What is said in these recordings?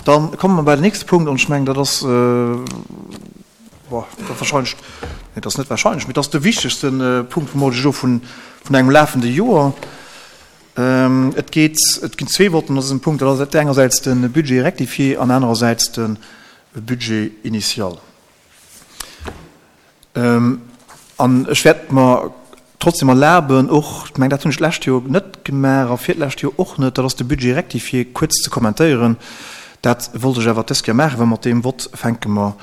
Dann komme mer bei den nächste Punkt, an ech mengen, dat ass, bon, dat wahrscheinlech, nee, dat ass net wahrscheinlech, mee dat ass de wichtegste Punkt vum hautege Joer vun, vun engem lafende Joer. Et geet, et ginn zwee Votten an dësem Punkt, dat ass engersäits de Budget rectifié an anerersäits de Budget initial. An ech wäert mer trotzdem erlaben, och, ech mengen, dat hunn ech d'lescht Joer net gemaach a virlescht Joer och net, dat ass de Budget rectifié kuerz ze kommentéieren. Dat wollt ech awer dës Kéier maachen, well mat deem Vott fänke mer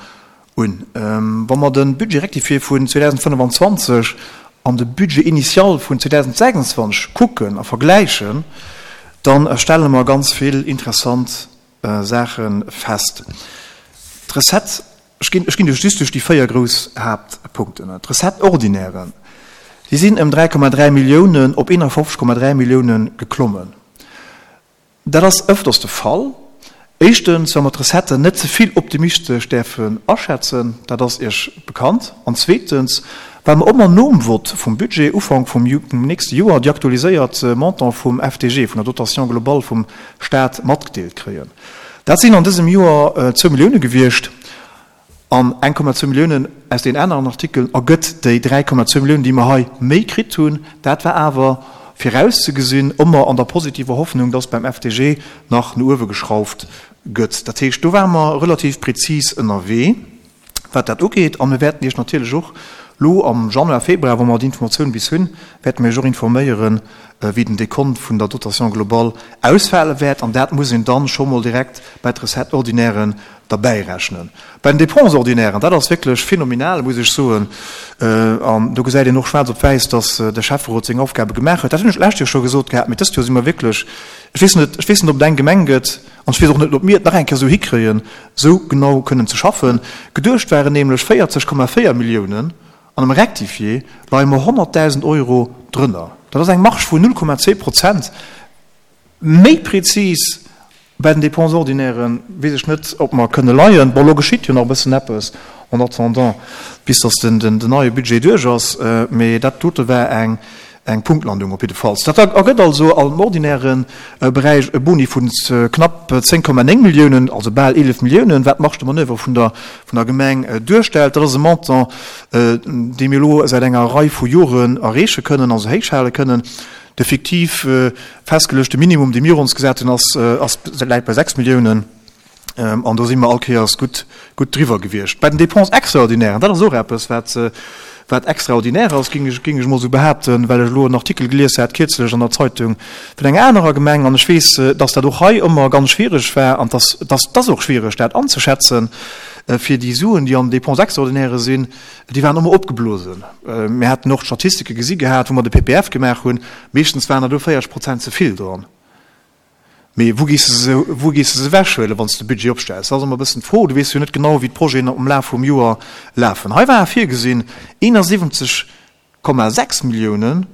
un. Wa mer de Budget rectifié vun 2025 an de Budget initial vun 2026 kucken a vergläichen, da stelle mer ganz vill interessant Saache fest. D'Recette Ech ginn, ech ginn duerch just duerch déi 4 grouss Haaptpunkten. D'Recettes ordinairen, déi sinn ëm 3,3 Milliounen op 51,3 Milliounen geklommen. Dat ass ëfters de Fall. Éischtens, well mer d'Recetten net ze vill optimistesch däerfen aschätzen, dat ass Iech bekannt. An zweetens, well mer ëmmer nom Vott vum Budget Ufank vum nächste Joer déi aktualiséiert Montant vum FDG, vun der Dotation globale vum Stat matgedeelt kréien. Dat sinn an dësem Joer zwou Millioune gewiescht, an 1,2 Milliounen aus deenen aneren Artikelen ergëtt déi 3,2 Milliounen, déi mer hei méi kritt hunn. Dat war awer virauszegesinn, ëmmer an der positiver Hoffnung, dass beim FDG nach no uewe geschrauft gëtt. Dat heescht, do ware mer relativ prezis ënnerwee. Wat dat ugeet, a mir wäerten Iech natierlech och lo am Januar, Februar, wa mer déi Informatioun bis hunn, wäerte mir Iech och informéieren, wéi den Dekont vun der Dotation globale ausfale wäert. An dat muss een dann scho mol direkt bei d'Recettes ordinairen derbäirechnen. Bei den Dépenses ordinairen, dat ass wierklech phänomenal, muss ech soen, an do gesäit een och schwaarz op wäiss, dass de Schäfferot seng Aufgabe gemaach huet. Dat hunn ech d'lescht Joer scho gesot gehat, mee dëst Joer si mer wierklech, ech weess net, ech weess net, ob et eng Gemeng gëtt, An ech weess och net, ob mir et nach eng Kéier esou hikréien, esou genau kënnen ze schaffen. Geduecht waren nämlech 40,4 Milliounen an am Rectifié leie mer 100.000 Euro drënner. Dat ass eng Marge vun 0,2 Prozent. Méi prezis bei den Dépenses ordinairen weess ech net, ob mer kënne leien. Bon, elo geschitt jo nach e bëssen eppes en attendant, bis datt den neie Budget duerch ass. Mee dat dote war eng Eng Punktlandung op jiddefalls. Dat ergëtt also am ordinäre Beräich e Boni vu knapp 10,9 Milliounen, also bal 11 Milliounen, wat d'Marge de manoeuvre vun der vun der Gemeng duerstellt. Dat ass e Montant, dee mir elo säit enger Rei vu Joren erreeche kënnen, also héich hale kënnen. De fiktiv festgeluechte Minimum, dee mir ons gesat hunn, ass ass läit bei 6 Milliounen. An do si mer all Kéiers gutt, gutt driwwer gewiescht. Bei den Dépenses extraordinairen, dat ass och eppes, wat, wat extraordinaire ass, géing ech, géing ech emol esou behaapten, well ech elo en Artikel gelies hat kierzlech an der Zeitung vun enger anerer Gemeng. An ech weess, dass dat och hei ëmmer ganz schwierig war an dass, dass, dass och schwierig, dat anzeschätzen, fir déi Suen, déi an den Dépenses extraordinairen sinn, déi waren ëmmer opgeblosen. Mir haten och d'Statistike gesi gehat, wou mer de PPF gemaach hunn. Meeschtens waren der do 40 Prozent ze vill dran. Mee wou gees de se, wou gees de se ewechhuelen, wann s de Budget opstells? Dat ass ëmmer e bëssen d'Fro. Du weess jo net genau, wéi d'Projeten am Laf vum Joer lafen. Hei ware virgesinn 71,6 Milliounen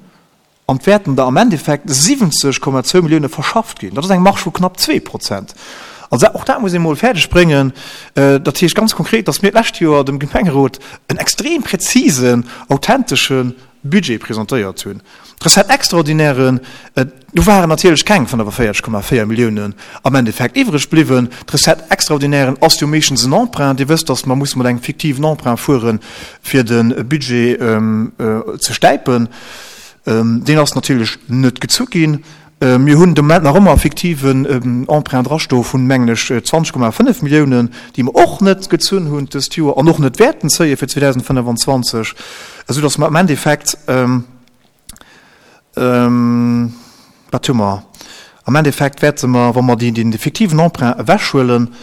an et wäerten der am Endeffekt 70,2 Millioune verschafft ginn. Dat ass eng Marge vu knapp 2%. Also och dat muss ee mol fäerdeg bréngen. Dat heescht ganz konkret, datt mir d'lescht Joer dem Gemengerot en extrem präzisen, authentesche Budget presentéiert hunn. D'Recettes extraordinairen, do waren natierlech keng 45,4 Milliounen am Endeffekt iwwreg bliwwen. D'Recettes extraordinairen ass jo meeschtens en Emprunt. Dir wësst, datt mer musse mat engem fiktiven Emprunt fueren, fir de Budget ze stäipen. Deen ass natierlech net gezu ginn. Mir hunn de Moment nach ëmmer e fiktiven Emprunt drastoe vun, mengen ech, 20,5 Milliounen, déi mer och net gezunn hunn dëst Joer an och net wäerten zéie fir 2025, esou datt mer am Endeffekt, wat hu mer? Am Endeffekt wäerte mer, wa mer dee fiktiven Emprunt ewechhuelen,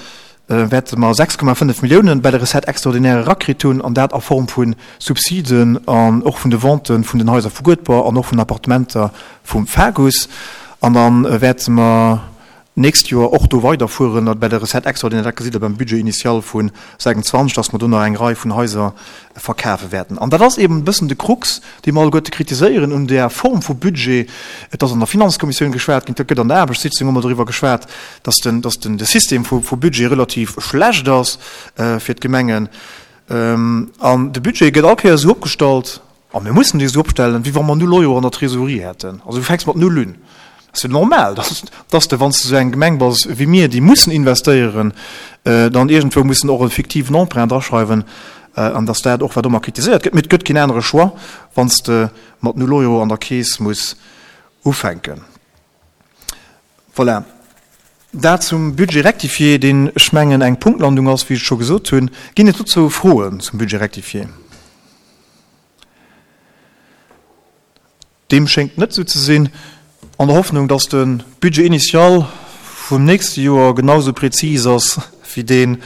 wäerte mer 6,5 Milliounen bei der Recette extraordinaire erakritt hunn, an dat a Form vu Subsiden an och vun de Vente vun den Haiser vu Guedber an och vun den Appartementer vum FAGUS. An da wäerte mer d'nächst Joer och do weiderfueren bei der Recette extraordinaire, dat gesitt Der beim Budget initial vu 26, dass mer do nach eng Rei vun Haiser verkafe wäerten. An dat ass eben e bëssen de Krux, dee mer alleguerte kritiséieren un där Form vu Budget. Et ass an der Finanzkommissioun geschwat ginn, et gëtt an der Aarbechtssitzung ëmmer doriwwer geschwat, dass den, dass den, de System vu, vu Budget relativ schlecht ass fir d'Gemengen. An de Budget gëtt all Kéier esou opgestallt, a mir mussen dee esou opstellen, wéi wa mer null Euro an der Trésorerie hätten. Also du fänks mat null un. Ass jo normal, dass, dass de, wann s de esou eng Gemeng bass wéi mir, déi mussen investéieren, dann iergendwou mussen och e fiktiven Emprunt draschreiwen an dass dat och, wat ëmmer kritiséiert gëtt, mee et gëtt keen anere Choix, wann s de mat null Euro an der Keess muss ufänken. Voilà, dat zum Budget rectifié, deen, ech mengen, eng Punktlandung ass, wéi ech et scho gesot hunn. Ginn et dozou Froen zum Budget rectifié? Deem schéngt net esou ze sinn. An der Hoffnung, dass de Budget initial vum nächste Joer genau esou prezis ass wéi dee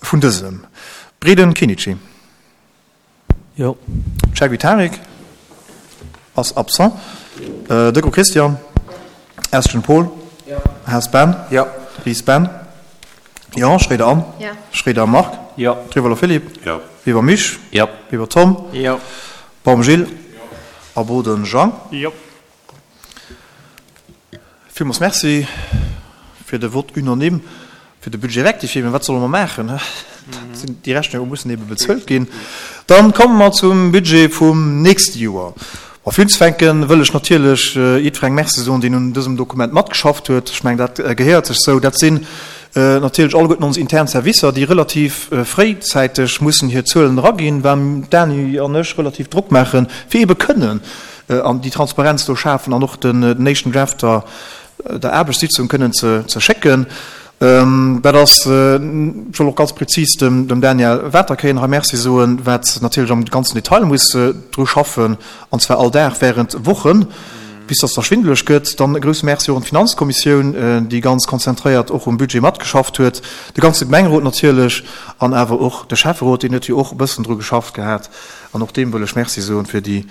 vun dësem. Breden Kinnici. Jo. Cheikh Tarik ass absent. Decaux Christian. Estgen Paul. Jo. Haas Ben. Jo. Ries Ben. Jo. Schroeder Anne. Jo. Schroeder Marc. Jo. Trivolo Philippe. Jo. Weber Misch. Jo. Weber Tom. Jo. Baum Gilles. A Boden Jean. Jo. Villmools Merci fir de Vote unanime fir de Budget rectifié. Mä wat solle mer maachen? Déi Rechnunge mussen ebe bezuelt ginn. Dann komme mer zum Budget vum nächste Joer. Bon, fir unzefänken, wëll ech natierlech jiddwerengem Merci soen, deen un dësem Dokument matgeschafft huet. Ech mengen, dat gehéiert sech esou. Dat sinn natierlech alleguerten ons intern Servicer, déi relativ fréizäiteg mussen hir Zuelen eraginn, well d'Dany an ech relativ Drock maachen, fir ebe kënnen an déi Transparenz do schafen an och den éischten Draft der der Aarbechtssitzung kënnen ze schécken. Dat ass, ech wëll och ganz prezis dem Daniel Waterkeyen hei Merci soen, wat natierlech am ganzen Detail muss dru schaffen, an zwar all Dag während Wochen, bis dass da schwindeleg gëtt. Dann e grousse Merci och un d'Finanzkommissioun, déi ganz konzentréiert och um Budget matgeschafft huet, de ganze Gemengerot natierlech an awer och de Schäfferot, deen huet jo och e bëssen dru geschafft gehat an och deem wëll ech Merci soen fir déi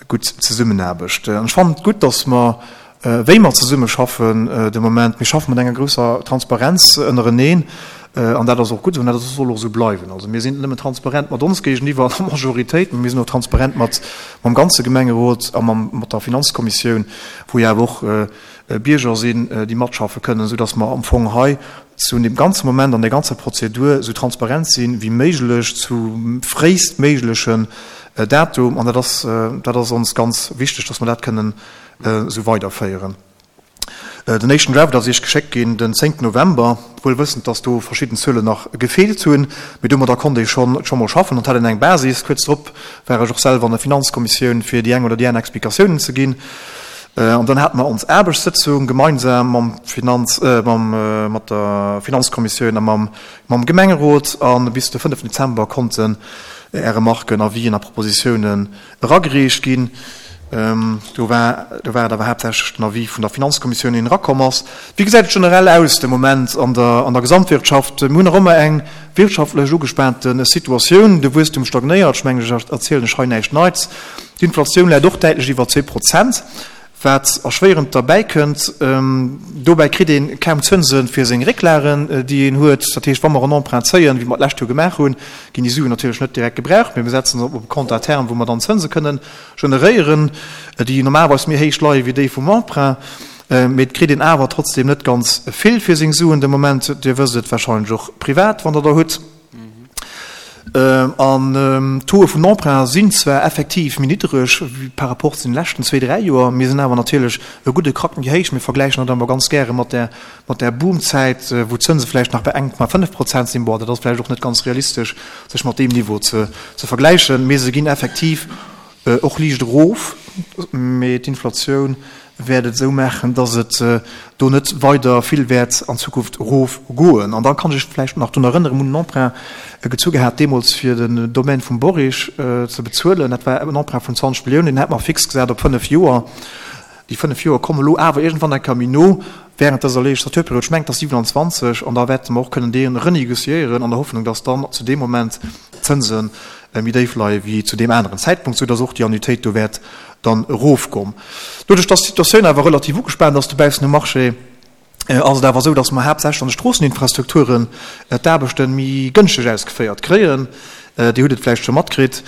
gutt Zesummenaarbecht. An ech fannen et gutt, dass mer, wéi mer zesummeschaffen de Moment, mir schaffe mat enger grousser Transparenz ënnereneen an dat ass och gutt esou an dat soll och esou bleiwen. Also mir sinn net nëmmen transparent mat ons géigeniwwer an der Majoritéit, mä mir sinn och transparent mat mam ganze Gemengerot a mam mat der Finanzkommissioun, wou jo awer och Bierger sinn, déi matschaffe kënnen, esou dass mer am Fong hei zu deem ganze Moment an där ganzer Prozedur esou transparent si wéi méiglech zu fréistméiglechen Datum. An dat ass, dat ass ons ganz wichteg, dass mer dat kënnen esou weiderféieren. Den éischten Draft ass Iech geschéckt ginn den 10 November, wuel wëssend, dass do verschidden Zuelen nach gefeelt hunn, mee domadder konnt ee schonn scho mol schaffen an hat een eng Basis. Kuerz drop war ech och selwer an der Finanzkommissioun, fir déi eng oder déi aner Explikatiounen ze ginn. An dann hate mer ons Aarbechtssëtzung gemeinsam mam Finanz, mam, mat der Finanzkommissioun a mam, mam Gemengerot. A bis de 5 Dezember konnten Är Remarken, Avisen a Propositiounen eragereecht ginn. Do war, do war et awer haaptsächlech den Avis vun der Finanzkommissioun, deen erakomm ass. Wéi gesäit et generell aus de Moment an der, an der Gesamtwirtschaft? Mir hunn nach ëmmer eng wirtschaftlech ugespaante Situatioun. De Wuesstum stagnéiert. Ech mengen, ech erzielen lech hei näischt Neits. D'Inflatioun läit och däitlech iwwer 2%, wat erschwéierend derbäi kënnt. Dobäi kritt ee kaum Zënse fir seng Récklagen, déi een huet. Dat heescht, wa mer en Emprunt zéien, wéi mer d'lescht Joer gemaach hunn, ginn déi Suen natierlech net direkt gebraucht, mee mir setzen se op e Compte à terme, wou mer dann Zënse kënnen generéieren, déi normalerweis méi héich leie wéi déi vum Emprunt. Mee et kritt een awer trotzdeem net ganz vill fir seng Suen de Moment. Dir wësst et warscheinlech och privat, wann Der der hutt. An d'Tauxe vun Emprunt sinn zwar effektiv méi niddereg par rapport zu den leschten zwee, dräi Joer, mee sinn awer natierlech e gudde Krack méi héich. Mir vergläichen dat ëmmer ganz gäre mat där, mat där Boomzäit, wou d'Zënse vläicht nach bei 1,5 Prozent sinn. Bon, dat ass vläicht och net ganz realistesch, sech mat deem Niveau ze vergläichen, mee se ginn effektiv och liicht erof. Mee d'Inflatioun wäert et esou maachen, dass et do net weider vill wäert an Zukunft erofgoen. An da kann ech vläicht nach drun erënneren, mir hunn en Emprunt gezu gehat deemools, fir den Domaine vum Borich ze bezuelen. Dat war en Emprunt vun 20 Milliounen, deen hat mer fix gesat op fënnf Joer. Déi fënnf Joer komme lo awer iergendwann eng Kéier méi no während dëser Legislaturperiod, ech mengen, et ass 27, an da wäerte mer och kënnen dee renégociéieren an der Hoffnung, dass dann zu deem Moment d'Zënse méi déif leie wéi zu deem aneren Zäitpunkt, soudass och déi Annuitéit do wäert dann erofgoen. Doduerch dass d'Situatioun awer relativ ugespaant ass dobaussen um Marché, ass et awer esou, dass mer haaptsächlech an de Stroosseninfrastrukturen d'Aarbechte méi gënschteg ausgeféiert kréien. Dir hutt et vläicht scho matkritt,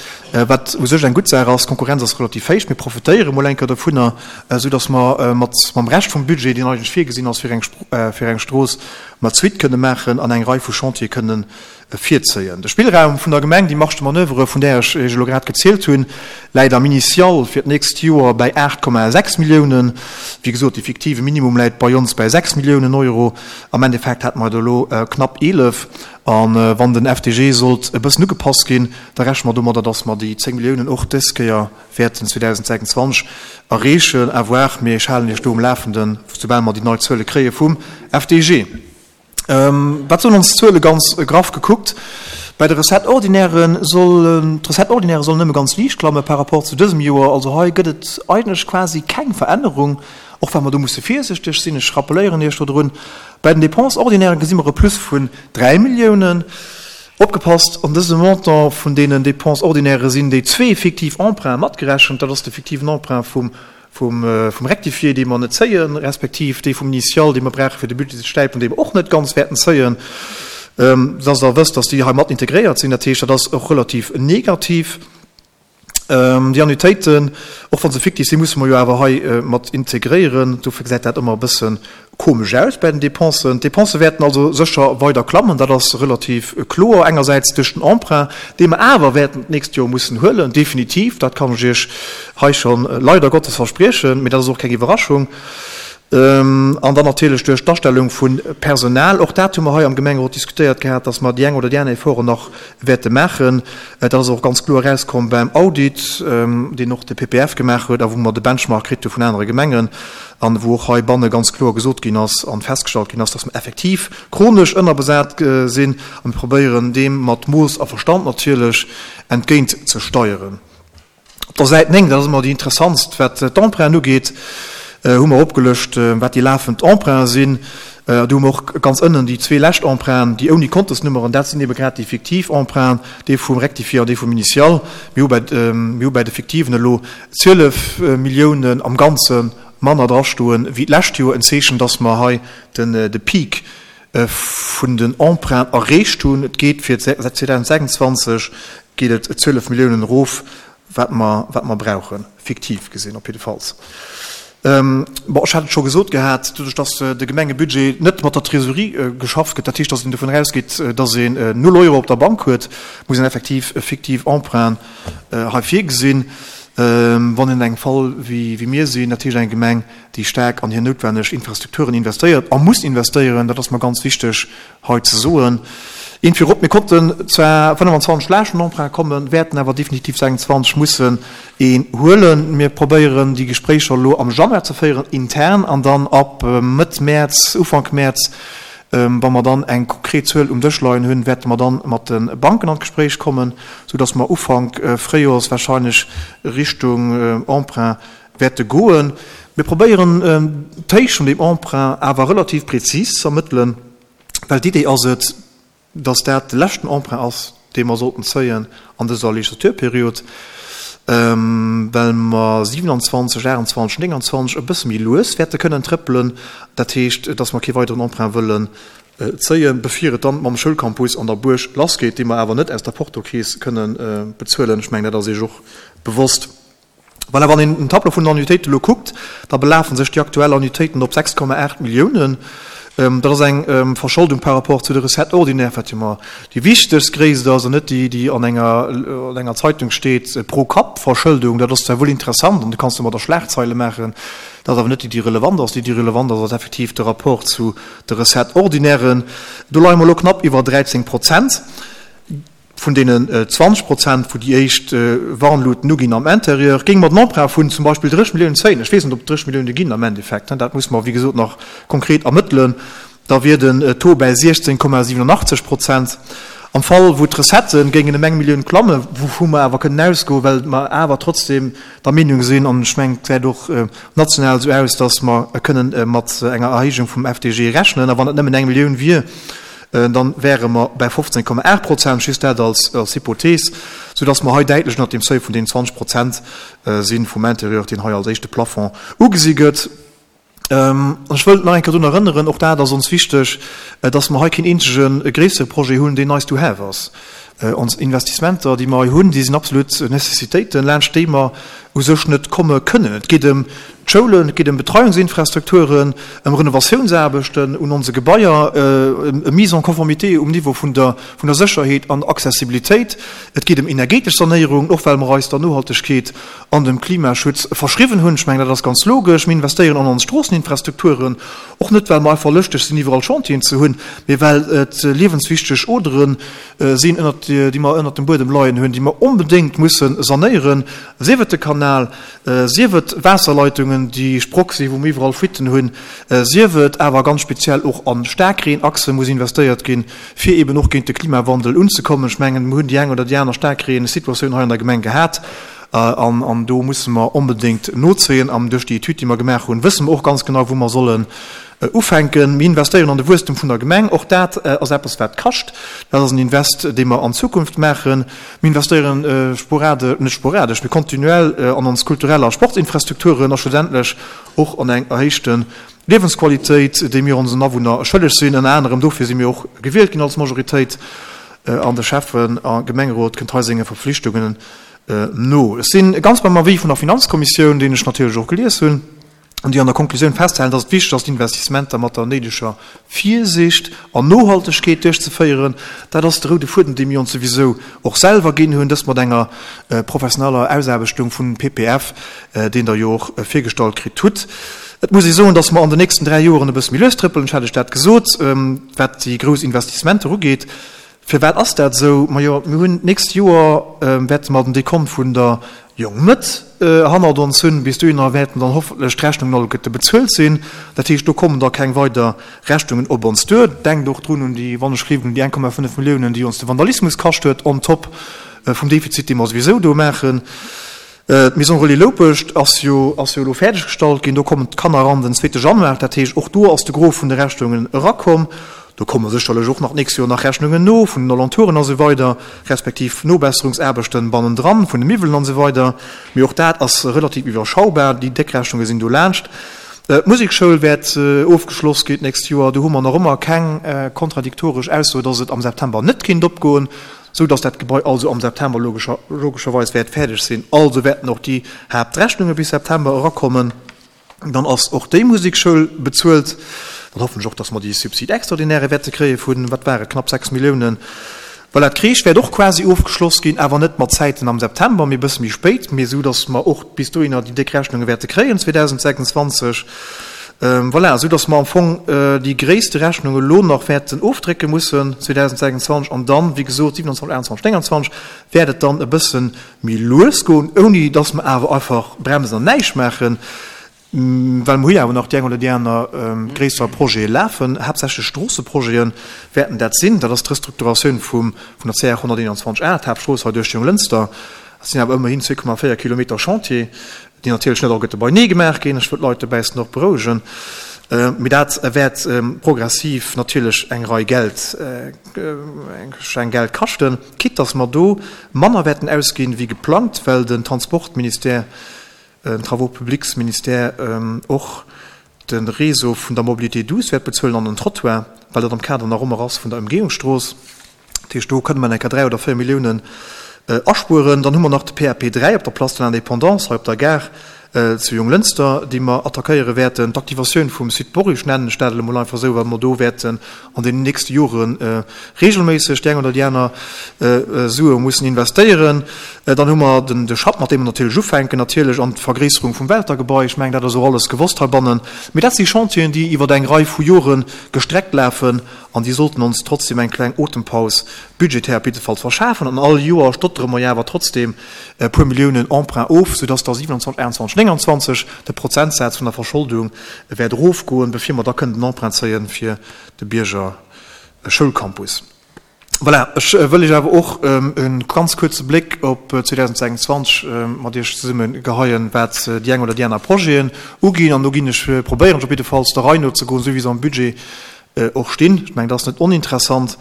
wat u sech eng gutt Saach ass. D'Konkurrenz ass relativ héich. Mir profitéiere mol eng Kéier dovunner, soudass mer mat mam Rescht vum Budget, deen eigentlech virgesinn ass fir eng fir eng Strooss, mer d'Suite kënne maachen an eng Rei vu Chantiere kënnen virzéien. De Spillraum vun der Gemeng, déi Marge de manoeuvre, vun där ech Iech elo grad gezielt hunn, läit am Initial fir d'nächst Joer bäi 8,6 Milliounen. Wéi gesot, de fiktive Minimum läit bei ons bäi 6 Milliounen Euro. Am Endeffekt hate mer et elo knapp 11. A wann den FDG sollt e bëssen ugepasst ginn, da rechne mer domadder, dass mer déi 10 Milliounen och dës Kéier wäerten 2026 erreechen. À voir, mee ech halen Iech do um Lafenden, soubal mer déi nei Zuele kréie vum FDG. Wat soen ons d'Zuele ganz graff gekuckt? Bei de Recettes ordinairen sollen, d'Recettes ordinaires sollen nëmme ganz liicht klamme par rapport zu dësem Joer. Also hei gëtt et eigentlech quasi keng Verännerung, och wa mer do musse virsichteg sinn. Ech rappeléieren Iech dodrun, bei den Dépenses ordinaires gesi mer e Plus vun 3 Milliounen. Opgepasst, an dësem Montant vun deenen Dépenses ordinaires sinn déi zwee fiktiv Emprunts matgerechent. Dat ass de fiktiven Emprunt vum vum Rectifié, dee mer net zéien, respektiv dee vum Initial, dee mer brauche fir de Budget ze stäipen, dee mer och net ganz wäerten zéien, dass Der wësst, dass déi hei mat integréiert sinn. Dat heescht, dat ass och relativ negativ. Déi Annuitéiten, och wa se fiktiv sinn, musse mer jo awer hei mat integréieren. Dofir gesäit dat ëmmer e bësse komesch aus bei den Dépensen. D'Dépense wäerten also sécher weider klammen, dat ass relativ kloer, engersäits duerch den Emprunt, dee mer awer wäerten d'nächst Joer mussen huelen, definitiv, dat kann ech Iech hei scho leider Gottes verspriechen, mee dat ass och keng Iwwerraschung, an dann natierlech duerch d'Astellung vu Personal. Och dat hu mer hei am Gemengerot diskutéiert gehat, dass mer déi eng oder déi aner Efforten nach wäerte maachen. Dat ass och ganz kloer erauskomm beim Audit, deen och de PPF gemaach huet a wou mer de Benchmark kritt hu vun anere Gemengen. an wou och heibanne ganz kloer gesot ginn ass an festgestallt ginn ass, dass mer effektiv chronesch ënnerbesat sinn a mir probéieren deem mat Mooss a Verstand natierlech entgéint ze steieren. Op der Säit 9, dat ass ëmmer déi interessantst, wat d'Emprunten ugeet, hu mer opgelëscht, wat déi lafend Emprunten sinn. Do hu mer och ganz ënnen déi zwee lescht Emprunten, déi ouni Kontesnummeren, dat sinn ebe grad déi fiktiv Emprunten, dee vum Rectifié an dee vum Initial. Mir hu bei, mir hu bei de fiktiven elo 12 Milliounen am Ganze manner drastoen wéi d'lescht Joer, en Zeechen, dass mer hei de Peak vun den Emprunten erreecht hunn. Et geet fir 2026 geet et 12 Milliounen erof, wat mer, wat mer brauchen, fiktiv gesinn op jiddefalls. Bon, ech hat et scho gesot gehat, doduerch dass de Gemengebudget net mat der Trésorerie geschafft gëtt, dat heescht, dass een dovun ausgeet, dass een null Euro op der Bank huet, muss een effektiv e fiktiv Emprunt hei virgesinn, wann een an engem Fall wéi mir sinn, dat heescht eng Gemeng, déi staark an hir noutwenneg Infrastrukturen investéiert a muss investéieren, dat ass mer ganz wichteg hei ze soen. Eent virop, Mir konnten zwar 25 laanscht den Emprunt kommen, wäerten awer definitiv 26 mussen een huelen. Mir probéieren déi Gespréicher elo am Januar ze féieren intern an dann ab Mëtt Mäerz, Ufank Mäerz, Wa mer dann eng konkret Zuel um Dësch leien hunn, wäerte mer dann mat de Banken an d'Gespréich kommen, soudass mer Ufank Fréijoers wahrscheinlech Richtung Emprunt wäerte goen. Mir probéieren d'Héicht vun deem Emprunt awer relativ prezis ze ermëttelen, well d'Idee ass et, dass dat de leschten Emprunt ass, dee mer sollten zéien an dëser Legislaturperiod, well mer 27, 28, 29 e bësse méi lues wäerte kënnen trëppelen. Dat heescht, dass mer kee weideren Emprunt wëllen zéien, bevir et dann mam Schoulcampus an der Buerg lassgeet, dee mer awer net aus der Portokeess kënnen bezuelen. Ech mengen, dat ass Iech och bewosst. Voilà, wann een den Tableau vun den Annuitéiten elo kuckt, da belafen sech déi aktuell Annuitéiten op 6,8 Milliounen. Dat ass eng Verscholdung par rapport zu de Recettes ordinaires, wat jo mar déi wichtegst Gréisst ass an net déi, déi an enger, an enger Zeitung steet, Pro-Kapp-Verschëldung. Dat ass zwar wuel interessant an do kanns de mat der Schlagzeile maachen, dat ass awer net déi, déi relevant ass. Déi, déi relevant ass, ass effektiv de Rapport zu de Recettes ordinairen. Do leie mer elo knapp iwwer 13 Prozent. Vun deenen 20 Prozent, wou déi éischt Warnluten uginn am Interieur, géinge mer den Emprunt vun zum Beispill 30 Milliounen zéien. Ech weess net, ob et 30 Millioune ginn am Endeffekt, dat musse mer, wéi gesot, nach konkret ermëttelen. Da wier den Taux bäi 16,87 Prozent. Am Fall, wou d'Recettë géingen ëm eng Millioun klammen, wouvu mer awer kënnen ausgoen, well mer awer trotzdem der Meenung sinn, an ech mengen, et gesäit och national esou aus, datt mer kënnen mat enger Erhéijung vum FDG rechnen, a wann et nëmmen eng Millioun wier, dann wäre mer bäi 15,8 Prozent, just dat als Hypothees, soudass mer hei däitlech ënnert deem Seuil vun deenen 20 Prozent si vum Interieur, deen hei als éischte Plafond ugesi gëtt. An ech wëll nach eng Kéier drun erënneren, och dat ass ons wichteg, dass mer hei keen eenzege gréissere Projet hunn, deen nice to have ass. Ons Investissementer, déi mer hei hunn, déi sinn absolut Nécessitéiten, laanscht déi mer u sech net komme kënnen. Et geet ëm. d'Schoulen, et geet ëm Betreiungsinfrastrukturen, ëm Renovatiounsaarbechten un onse Gebaier, ëm Mise en conformité um Niveau vun der vun der Sécherheet an Accessibilitéit. Et geet ëm energetesch Sanéierung, och well mer eis der Nohaltegkeet an dem Klimaschutz verschriwwen hunn. Ech mengen, dat ass ganz logesch. Mir investéieren an ons Stroosseninfrastrukturen, och net well mer einfach lëschteg sinn, iwwerall Chantieren ze hunn, mee well et liewenswichteg Odere sinn, ënnert déi mer ënnert dem Buedem leien hunn, déi mer onbedéngt musse sanéieren, sief et de Kanal, sief et Waasserleitungen, déi sprock sinn, wou mer iwwerall Fuitten hunn, sief et awer ganz speziell och a Staarkreenachse muss investéiert ginn, fir eben och géint de Klimawandel unzekommen. Ech mengen, mer hunn déi eng oder déi aner Staarkreensituatioun hei an der Gemeng gehat an do musse mer onbedéngt nozéien. An duerch déi Etüd, déi mer gemaach hunn, wësse mer och ganz genau, wou mer sollen ufänken. Mir investéieren an de Wuesstem vun der Gemeng. Och dat ass eppes, wat kascht. Dat ass en Invest, dee mer an Zukunft maachen. Mir investéieren sporade-, net sporadesch, mee kontinuell an ons kulturell a Sportsinfrastrukturen a schlussendlech och an eng erhéichte Liewensqualitéit, déi mir onsen Awunner schëlleg sinn. Ënner anerem dofir si mir och gewielt ginn als Majoritéit an de Schäffen a Gemengerot kënnt hei senge Verpflichtungen no. Ech si ganz beim Avis vun der Finanzkommissioun, deen ech natierlech och gelies hunn, an déi an der Konklusioun festhalen, dass et wichteg ass, d'Investissementer mat der néideger Virsicht an Nohaltegkeet duerchzeféieren. Dat ass de roude Fuedem, dee mir ons souwisou och selwer ginn hunn, dëst mat enger professioneller Ausaarbechtung vun PPF, deen Der jo och virgestallt kritt hutt. Et muss ee soen, dass mer an den nächsten 3 Joren e bësse méi lues trëppelen, ech hat lech dat gesot, wat déi grouss Investissementer ugeet. Firwat ass dat esou? Majo, mir hunn d'nächst Joer wäerte mer den Dekont vun der Jong Mëtt hannert ons hunn. Bis dohinner wäerten dann hoffentlech d'Rechnungen alleguerte bezuelt sinn. Dat heescht, do kommen da keng weider Rechnungen op ons duer. Denkt och drun un déi, wann ech gleewen, un déi 1,5 Milliounen, déi ons de Vandalismus kascht huet, on top vum Defizit, dee mer souwisou do maachen. D'Maison Relais Loupescht ass jo ass jo elo fäerdeg gestallt ginn. Do kommen d'Kanner eran den zweete Januar. Dat heescht, och do ass de Gros vun de Rechnungen erakomm. Do komme sécherlech och nach d'nächst Joer nach Rechnungen no vun den Alentouren a sou weider, respektiv Nobesserungsaarbechten bannendran vun de Miwwelen an sou weider. Mee och dat ass relativ iwwerschaubar. Déi déck Rechnunge sinn do laanscht. D'Musekschoul wäert ofgeschloss ginn d'nächst Joer. Do hu mer nach ëmmer keng kontradiktoresch Ausso, dass et am September net kéint opgoen. Sou dass dat Gebai also am September logescherweis wäert fäerdeg sinn. Also wäerten och déi Haaptrechnunge bis September erakommen. Dann ass och déi Musekschoul bezuelt. Dann hoffen ech och, dass mer déi Subside extraordinaire wäerte kréie vun, wat war et, knapp 6 Milliounen. Voilà, d'Crèche wäert och quasi ofgeschloss ginn, awer net mat Zäiten am September, mee e bësse méi spéit, mee esou dass mer och bis dohinner déi déck Rechnunge wäerte kréien 2026. Voilà, esou dass mer am Fong déi gréisste Rechnung elo nach wäerten ofdrécke mussen 2026 an dann, wéi gesot, 27, 28, 29 wäert et dann e bësse méi lues goen, ouni dass mer awer einfach bremsen an näischt maachen, well mer hu jo awer nach déi eng oder déi aner gréisser Projete lafen, haaptsächlech Stroosseprojete wäerten dat sinn. Dat ass d'Restrukturatioun vum vun der CR 121 A, d'Haaptstrooss hei duerch Jonglënster. Dat sinn awer ëmmerhin 2,4 Kilometer Chantier. déi natierlech net alleguerte beinee gemaach ginn, ech wëll d'Leit dobäissen och berouegen, mee dat wäert progressiv natierlech eng Rei Geld, eng Geld kaschten, quitte dass mer do manner wäerten ausginn wéi geplangt, well den Transportministère, den Travaux-publics-Ministère och de Réseau vun der Mobilité douce wäert bezuelen an den Trottoir, well dat am Kader nach ëmmer ass vun der Ëmgehungsstrooss. Dat heescht, do kënne mer enker 3 oder 4 Milliounen aspueren. Dann hu mer nach de PAP 3 op der Place de l'Indépendance hei op der Gare zu Jonglënster, déi mer attackéiere wäerten. D'Aktivatioun vum Site Borich nennen ech dat elo mol einfach esou, well mer do wäerten an deenen nächste Jore regelméisseg déi eng oder déi aner Sue mussen investéieren. Dann hu mer den de Schapp, mat deem mer natierlech ufänken, natierlech an d'Vergréisserung vum Welter-Gebai. Ech mengen, dat ass och alles gewosst heibannen. Mee dat si Chantieren, déi iwwer eng Rei vu Jore gestreckt lafen. An déi sollten ons trotzdem eng kleng Otempaus budgetär op jiddefalls verschafen. An all Joer stottere mer jo awer trotzdem e puer Milliounen Emprunt of, soudass da 27, 28, 29 de Prozentsaz vun der Verscholdung wäert erofgoen, bevir mer da kënnen den Emprunt zéien fir de Bierger Schoulcampus. Voilà, ech wëll Iech awer och e ganz kuerze Bléck op 2026 mat Iech zesumme geheien, wat déi eng oder déi aner Projeten uginn. An do ginn ech, probéieren ech op jiddefalls der Rei nozegoen, esou wéi se am Budget och stinn. Ech mengen, dat ass net oninteressant.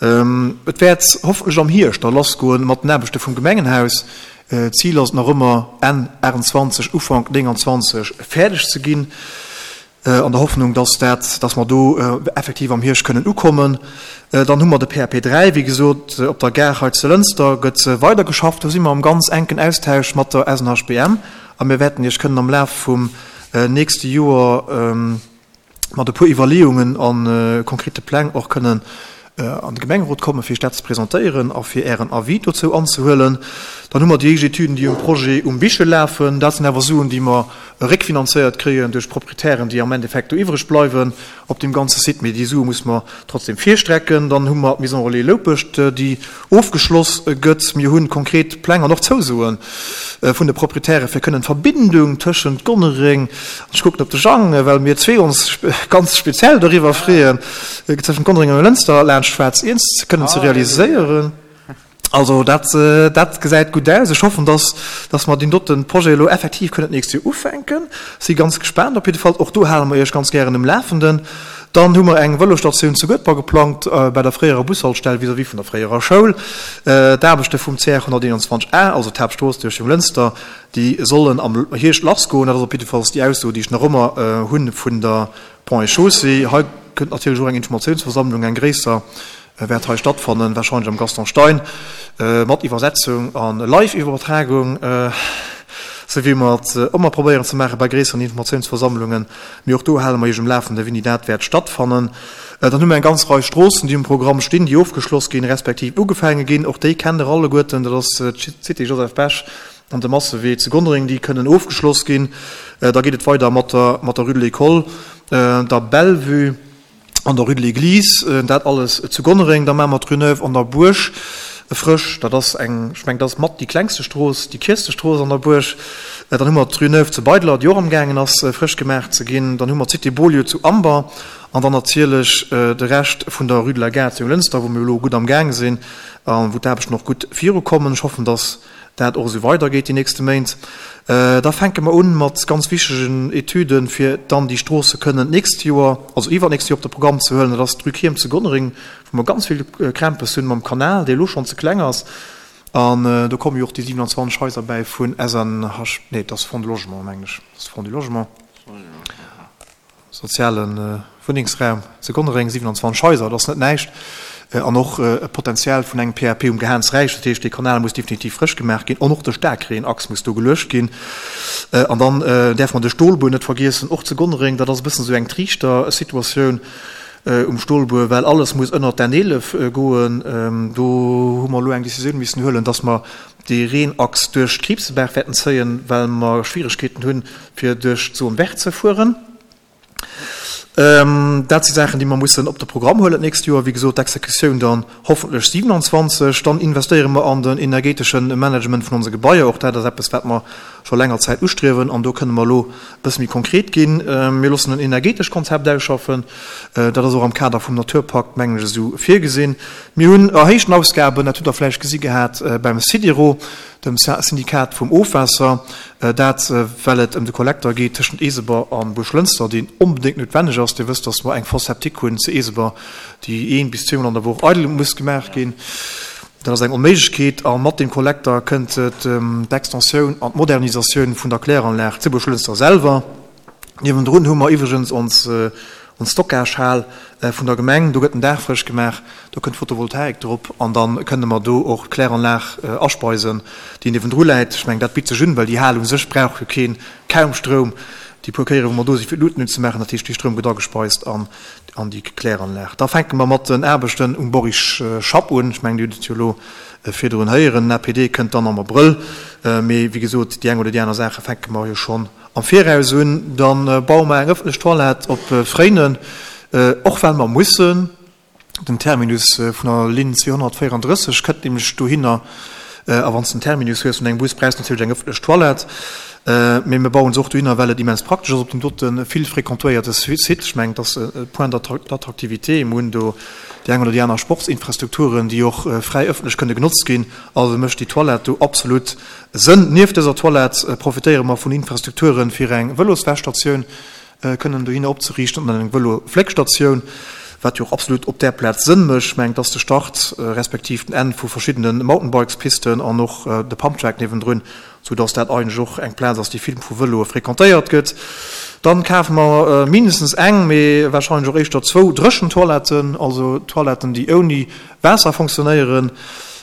Et wäert hoffentlech am Hierscht da lassgoen mat den Aarbechte vum Gemengenhaus. D'Zil ass et nach ëmmer, Enn 28, Ufank 29 fäerdeg ze ginn, an der Hoffnung, dass dat, dass mer do effektiv am Hierscht kënnen ukommen. Dann hu mer de PAP 3, wéi gesot, op der Gare hei zu Lënster gëtt weidergeschafft. Do si mer am ganz enken Austausch mat der SNHBM a mir wäerten Iech kënnen am Laf vum. nächste Joer mat e puer Iwwerleeungen a konkrete Pläng och kënnen an de Gemengerot kommen, fir Iech dat ze presentéieren a fir Ären Avis dozou anzehuelen. Dann hu mer déi éischt Etüden, déi um Projet um Bichel lafen. Dat sinn awer Suen, déi mer réckfinanzéiert kréien duerch d'Proprietären, déi am Endeffekt do iwwreg bleiwen op deem ganze Site. Mee déi Sue muss mer trotzdem virstrecken. Dann hu mer d'Maison Relais Loupescht, déi ofgeschloss gëtt. Mir hu konkret Pläng an och Zousoe vun de Proprietäre fir kënnen d'Verbindung tëschent Gonnereng, an ech kucken op de Jang, well mir zwee ons ganz speziell doriwwer freeën, tëschent Gonnereng a Lënster laanscht Schwaarz Iernz kënnen ze realiséieren. Also dat, dat gesäit gutt aus. Ech hoffen, dass, dass mer deen dote Projet elo effektiv kënnen d'nächst Joer ufänken. Si ganz gespaant op jidde Fall. Och do hale mer Iech ganz gären um Lafenden. Dann hu mer eng Vëlosstatioun zu Guedber geplangt, bei der fréierer Bushaltestell vis-à-vis vun der fréierer Schoul. D'Aarbechte vum CR 121 A, also d'Haaptstrooss duerch Jonglënster, déi sollen am Hierscht lassgoen. Dat ass op jiddefalls déi Ausso, déi ech nach ëmmer hu vun der Ponts et Chaussées. Hei kënnt natierlech och eng Informatiounsversammlung, eng gréisser, wäert hei stattfannen, wahrscheinlech am Gaston Stein, mat Iwwersetzung a Live-Iwwertragung, sou wéi mer et ëmmer probéieren ze maache bei gréisseren Informatiounsversammlungen. Mee och do hale mer Iech um Lafende wéini dat wäert stattfannen. Dann hu mer eng ganz Rei Stroossen, déi um Programm stinn, déi ofgeschloss ginn, respektiv ugefaange ginn. Och déi kennt Der alleguerten, dat ass d'Cité Joseph Bech an de Massewee zu Gonnereng, déi kënnen ofgeschloss ginn. Da geet et weider mat der Rue de l'École, der Bellevue, an der Rue de l'Église, dat alles zu Gonnereng. Da maache mer d'Rue Neuve an der Buerg frësch. Dat ass eng, ech mengen, dat ass mat déi klengste Strooss, déi kierzte Strooss an der Buerg. Dann hu mer d'Rue Neuve zu Beidler, déi och amgaangen ass, frësch gemaach ze ginn. Dann hu mer d'Cité Beaulieu zu Amber an dann natierlech de Rescht vun der Rue de la Gare zu Jonglënster, wou mir elo gutt amgaang sinn a wou d'Aarbechten och gutt virukommen. Ech hoffen, dass dat och esou weidergeet déi nächste Méint. Da fänke mer un mat ganz wichtegen Etüden, fir dann déi Stroosse kënnen d'nächst Joer, also iwwernächst Joer op de Programm ze huelen. Dat ass d'Rue Kierm zu Gonnereng, wou mer ganz vill Krämpes hunn mam Kanal, dee elo schonn ze kleng ass. An do komme jo och déi 27 Haiser bäi vun SNH, nee, et ass Fonds de Logement, mengen ech, et ass Fonds du Logement. Soziale Wunnengsraum zu Gonnereng, 27 Haiser, dat ass net näischt, an och e Potenzial vun engem PAP um Gehaansräich. Dat heescht, dee Kanal muss definitiv frësch gemaach ginn an och de Staarkreenachs muss do geluecht ginn. An dann däerfe mer de Stolbuer net vergiessen, och zu Gonnereng. Dat ass e bëssen esou eng Triichtersituatioun um Stolbuer, well alles muss ënnert d'N 11 goen. Do hu mer elo eng Decisioun missen huelen, dass mer dee Reenachs duerch d'Kriibsebaach wäerten zéien, well mer Schwieregkeeten hunn, fir duerch d'Zone verte ze fueren. Dat si Saachen, déi mer mussen op de Programm huelen d'nächst Joer. Wéi gesot, d'Exekutioun dann hoffentlech 27. Dann investéiere mer an den energeetesche Management vun onse Gebaier. Och dat ass eppes, wat mer scho länger Zäit ustriewen. An do kënne mer elo e bësse méi konkret ginn. Mir loossen en energeetescht Konzept ausschaffen. Dat ass och am Kader vum Naturpakt, mengen ech, esou virgesinn. Mir hunn erhéichten Ausgaben, dat hutt Der vläicht gesi gehat beim SIDERO, dem Syndikat vum Ofwaasser, dat well et ëm de Kollekter geet tëschent Eeseber a Buerglënster, deen onbedéngt noutwenneg ass. Dir wësst, dass mer eng Fosse septique hunn zu Eeseber, déi een bis zweemol an der Woch eidel muss gemaach ginn. Dat ass eng Onméiglechkeet. A mat deem Kollekter kënnt d'Extensioun an d'Modernisatioun vun der Kläranlag zu Buerglënster selwer. Niewendrun hu mer iwwregens ons Stockagehal vun der Gemeng. Do gëtt den Daach frësch gemaach, do kënnt Photovoltaik drop an da kënne mer do och d'Kläranlag aspeisen, déi niewendru läit. Ech mengen, dat bitt sech un, well déi Hal u sech brauch jo keen, kaum Stroum. Déi puer Kéiere wou mer do si fir d'Luuten unzemaachen, dat heescht, dee Stroum gëtt agespeist an déi Kläranlag. Da fänke mer mat den Aarbechten um Boris Schapp un. Ech mengen, Dir hutt et jo elo virdrun héieren. Den APD kënnt dann am Abrëll. Mee wéi gesot, déi eng oder déi aner Saache fänke mer jo schonn Am Viraus un, dann baue mer eng ëffentlech Toilette op Fréinen, och well mer mussen. Den Terminus vun der Linn 234 kënnt nämlech dohinner, a wann s de den Terminus hues vun engem Bus, brauchs de natierlech eng ëffentlech Toilette. Mee mir bauen se och dohinner, well et immens praktesch ass op deem dote vill fréquentéierte Site. Ech mengen, et ass e Point d'attractivité. Mir hunn do déi eng oder déi aner Sportsinfrastrukturen, déi och fräi ëffentlech kënne genotzt ginn. Also mécht déi Toilette do absolut Sënn. Nieft dëser Toilette profitéiere mer vun Infrastrukturen, fir eng Vëloswäschstatioun kënnen dohinner opzeriichten an eng Vëlofléckstatioun, wat jo och absolut op där Plaz Sënn mécht. Ech mengen, et ass de Start respektiv den Enn vu verschiddene Mountainbikespisten an och de Pumptrack niewendrun, sou dass dat eigentlech och eng Plaz ass, déi vill vu Vëloe fréquentéiert gëtt. Dann kafe mer mindestens eng, mee wahrscheinlech och éischter zwou dréchen Toiletten, also Toiletten, déi ouni Waasser fonctionnéieren.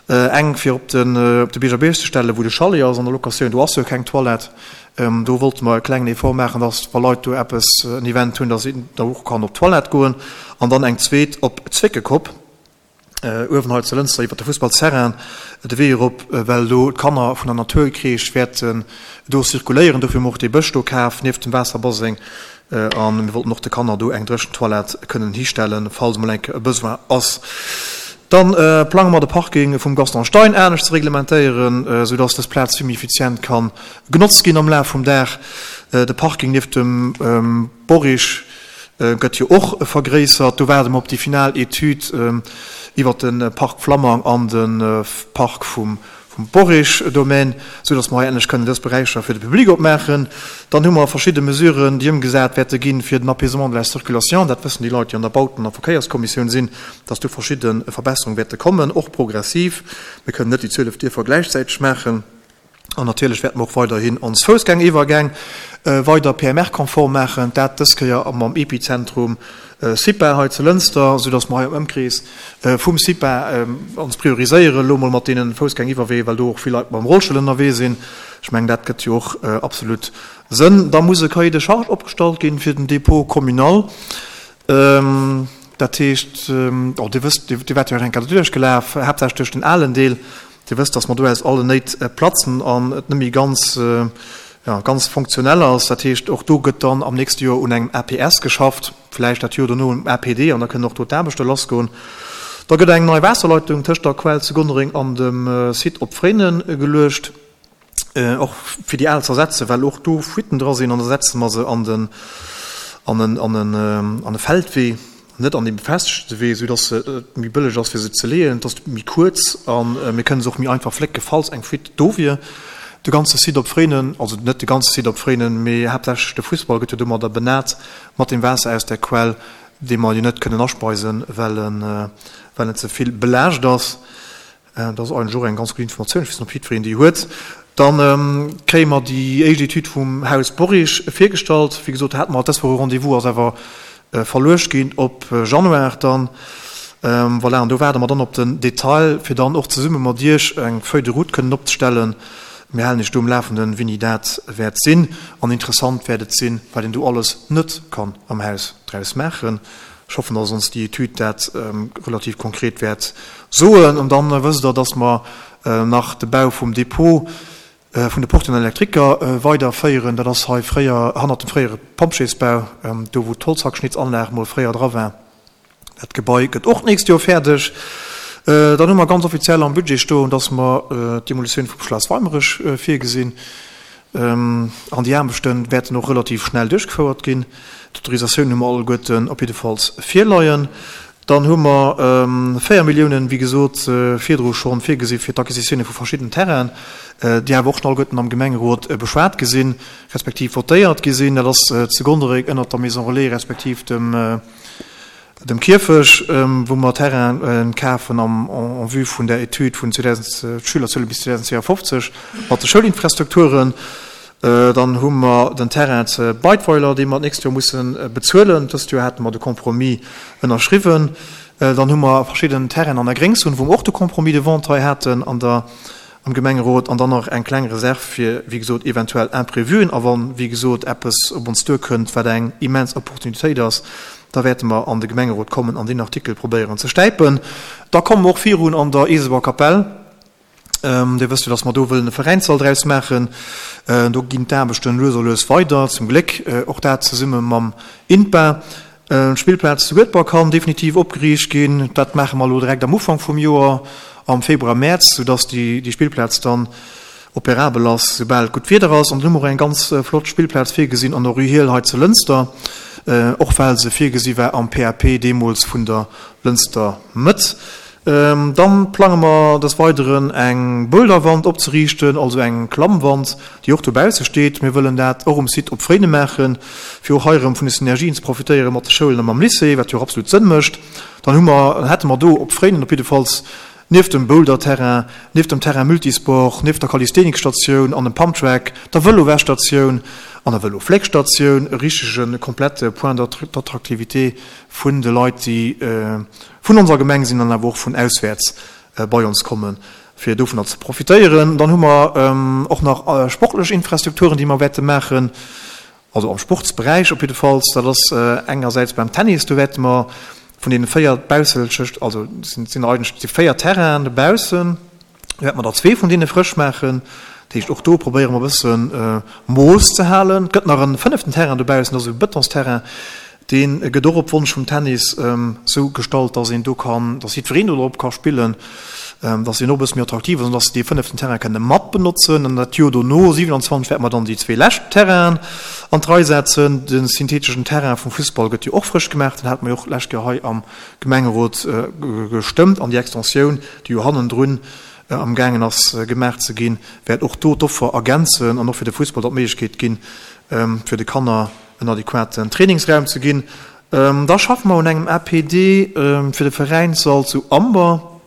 Eng fir op den op de Bierger Bierg ze stellen, wou de Chalet ass an der Locatioun, do ass jo keng Toilette. Do wollte mer e klengen Effort maachen, dass wa Leit do eppes, en Event hunn, dass een da och kann op d'Toilette goen. An dann eng zweet op Zwéckekopp, uewen hei zu Lënster iwwert de Fussballsterrain de Wee erop, well do d'Kanner vun der Naturcrèche wäerten do zirkuléieren. Dofir hu mer och dee Bësch do kaf nieft dem Waasserbaseng. A mir wollten och de Kanner do eng dréchen Toilette kënnen histellen, falls emol eng Kéier e Besoin ass. Dann plange mer de Parking vum Gaston Stein anescht ze reglementéieren, soudass dës Plaz vill méi effizient ka genotzt ginn am Laf vum Dag. De Parking nieft dem Borich gëtt jo och vergréissert. Do waarde mer op déi final Etüd iwwert de Park Flammang an de Park vum Borich-Domaine, sou datt mer hei endlech kënnen dës Beräicher fir de Public opmaachen. Dann hu mer verschidde Mesuren, déi ëmgesat wäerte ginn, fir den Apaisement de la circulation. Dat wëssen déi Leit, déi an der Bauten a Verkéierskommissioun sinn, datt do verschidde Verbesserunge wäerte kommen, och progressiv. Mir kënnen net déi 12 Dierfer gläichzäiteg maachen. An natierlech wäerte mer och weiderhin ons Foussgängeriwwergäng weider PMR-konform maachen, dat dës Kéier mam Epizentrum CIPA hei zu Lënster, soudass mer hei am Ëmkrees vum CIPA ons prioriséieren elo mol mat deene Foussgängiwwerweeër, well do och vill Leit mam Rollstull ënnerwee sinn. Ech mengen, dat gëtt jo och absolut Sënn. Da muss e Cahier de charges opgestallt ginn fir den Dépôt communal. Dat heescht, oh, Dir wësst, Dir waart jo och eng Kéier doduerch gelaf, haaptsächlech duerch den alen Deel. Dir wësst, dass mer do aus allen Néit platzen an et net méi ganz, ja, ganz funktionell ass. Dat heescht, och do gëtt dann am nächste Joer un engem APS geschafft, vläicht dat Joer dono um APD an da kënnen och do d'Aarbechte lassgoen. Da gëtt eng nei Waasserleitung tëscht der Quell zu Gonnereng an dem Site op Fréinen geluecht. Och fir déi al z'ersetzen, well och do Fuitten dra sinn, an da setze mer se an den, an en, an en, an e Feldwee, net an dee befestegte Wee, soudass et méi bëlleg ass fir se ze leeën. Et ass méi kuerz a mir kënne se och méi einfach flécke falls eng Fuite do wier. De ganze Site op Fréinen, also net de ganze Site op Fréinen, mee haaptsächlech de Fussball gëtt jo domadder benat mat dem Waasser aus der Quell, dee mer jo net kënnen aspeisen, well en, well en ze vill belaascht ass. Dat ass eigentlech och eng ganz gutt Informatioun. Ech weess net, ob jiddwereen déi huet. Da kréie mer déi éischt Etüd vum Haus Borich virgestallt. Wéi gesot, hate mer dës Woch e Rendez-vous, ass awer verluecht ginn op Januar dann. Voilà, an do waarde mer dann op den Detail, fir dann och zesumme mat Iech eng Feuille de route kënnen opzestellen. Mir halen Iech do um Lafenden, wéini dat wäert sinn. An interessant wäert et sinn, wat een do alles net kann am Haus draus maachen. Ech hoffen, dass ons déi Etüd dat relativ konkret wäert soen. An dann wësst Der, dass mer nach de Bau vum Depot vun de Portieren an Elektriker weiderféieren. Dat ass hei fréier hannert dem fréiere Pompjeesbau, do wou d'Holzhackschnitzanlag mol fréier dra war. Dat Gebai gëtt och d'nächst Joer fäerdeg. Dann hu mer ganz offiziell am Budget stoen, dass mer d'Demolitioun vum Schlass Weimerech virgesinn. An déi Aarbechte wäerten och relativ schnell duerchgefouert ginn. D'Autorisatiounen hu mer alleguerten op jiddefalls virleien. Dann hu mer 4 Milliounen, wéi gesot, virdru scho virgesi fir d'Acquisitioune vu verschiddenen Terrainen, déi awer och schonn alleguerten am Gemengerot beschwat gi sinn, respektiv votéiert gi sinn. Dat ass zu Gondereng ënnert der Maison Relais respektiv dem Dem Kierfech, wou mer Terrainen kafen am en vue vun der Etüd vun 2000, d'Schülerzuele bis 2052 mat de Schoulinfrastrukturen. Dann hu mer den Terrain ze Beidweiler, dee mer d'nächst Joer musse bezuelen. Dëst Joer hate mer de Compromis ënnerschriwwen. Dann hu mer verschidden Terrainen an der Gréngzon, wou mer och de Compromis de vente hei haten an der am Gemengerot an dann nach eng kleng Reserv fir, wéi gesot, eventuell Imprévuen. A wann, wéi gesot, eppes op ons duerkënnt, wat eng immens Opportunitéit ass, da wäerte mer an de Gemengerot kommen an deen Artikel probéieren ze stäipen. Da komme mer och virun an der Eeseber Kapell. Dir wësst jo, dass mer do wëllen e Veräinssall draus maachen. Do ginn d'Aarbechten lues a lues weider, zum Gléck. Och dat zesumme mam INPA. D'Spillplaz zu Guedber kann definitiv opgeriicht ginn. Dat maache mer elo direkt am Ufank vum Joer, am Februar, Mäerz, soudass déi Spillplaz dann operabel ass, soubal et gutt Wieder ass. An dann hu mer och eng ganz flott Spillplaz virgesinn an der Rue Hiehl hei zu Lënster, och well se virgesi war am PAP deemools vun der Lënster Mëtt. Dann plange mer des Weideren eng Boulderwand opzeriichten, also eng Klammwand, déi och dobausse steet. Mir wëllen dat och um Site op Fréine maachen, fir och hei erëm vun de Synergien ze profitéiere mat de Schoulen a mam Lycée, wat jo och absolut Sënn mécht. Dann hu mer, hätte mer do op Fréinen op jiddefalls nieft dem Boulderterrain, nieft dem Terrain Multisport, nieft der Calisthenicsstatioun an dem Pumptrack, der Vëlowäschstatioun an der Vëlofléckstatioun e richtege komplette Point d'attractivité vun de Leit, déi vun onser Gemeng sinn an awer och vun auswäerts. bei ons kommen, fir dovunner ze profitéieren. Dann hu mer och nach sportlech Infrastrukturen, déi mer wäerte maachen, also am Sportsberäich op jiddefalls. Dat ass engersäits beim Tennis, do wäerte mer vun deene 4 bausselchecht, also et sinn eigentlech déi 4 Terrainen dobaussen, do wäerte mer der zwee vun deene frësch maachen. Dat heescht, och do probéiere mer e bësse Mooss ze halen. Et gëtt nach e fënneften Terrain dobaussen, dat ass e Bëtonsterrain, Dee gëtt och op Wonsch vum Tennis sou gestallt, dass een do kann, dass jiddwereen do drop ka spillen, dass deen och e bësse méi attraktiv ass an dass se dee fënneften Terrain kënne mat benotzen. An dat Joer dono, 27, wäerte mer dann déi zwee lescht Terrainen an d'Rei setzen. De syntheteschen Terrain vum Fussball gëtt jo och frësch gemaach, deen hate mer jo och d'lescht Joer hei am Gemengerot gestëmmt. An déi Extensioun, déi jo hannendrun amgaangen ass gemaach ze ginn, wäert och do d'Offer ergänzen an och fir de Fussball dann d'Méiglechkeet ginn, fir de Kanner en adequaten Trainingsraum ze ginn. Da schaffe mer un engem APD fir de Veräinssall zu Amber.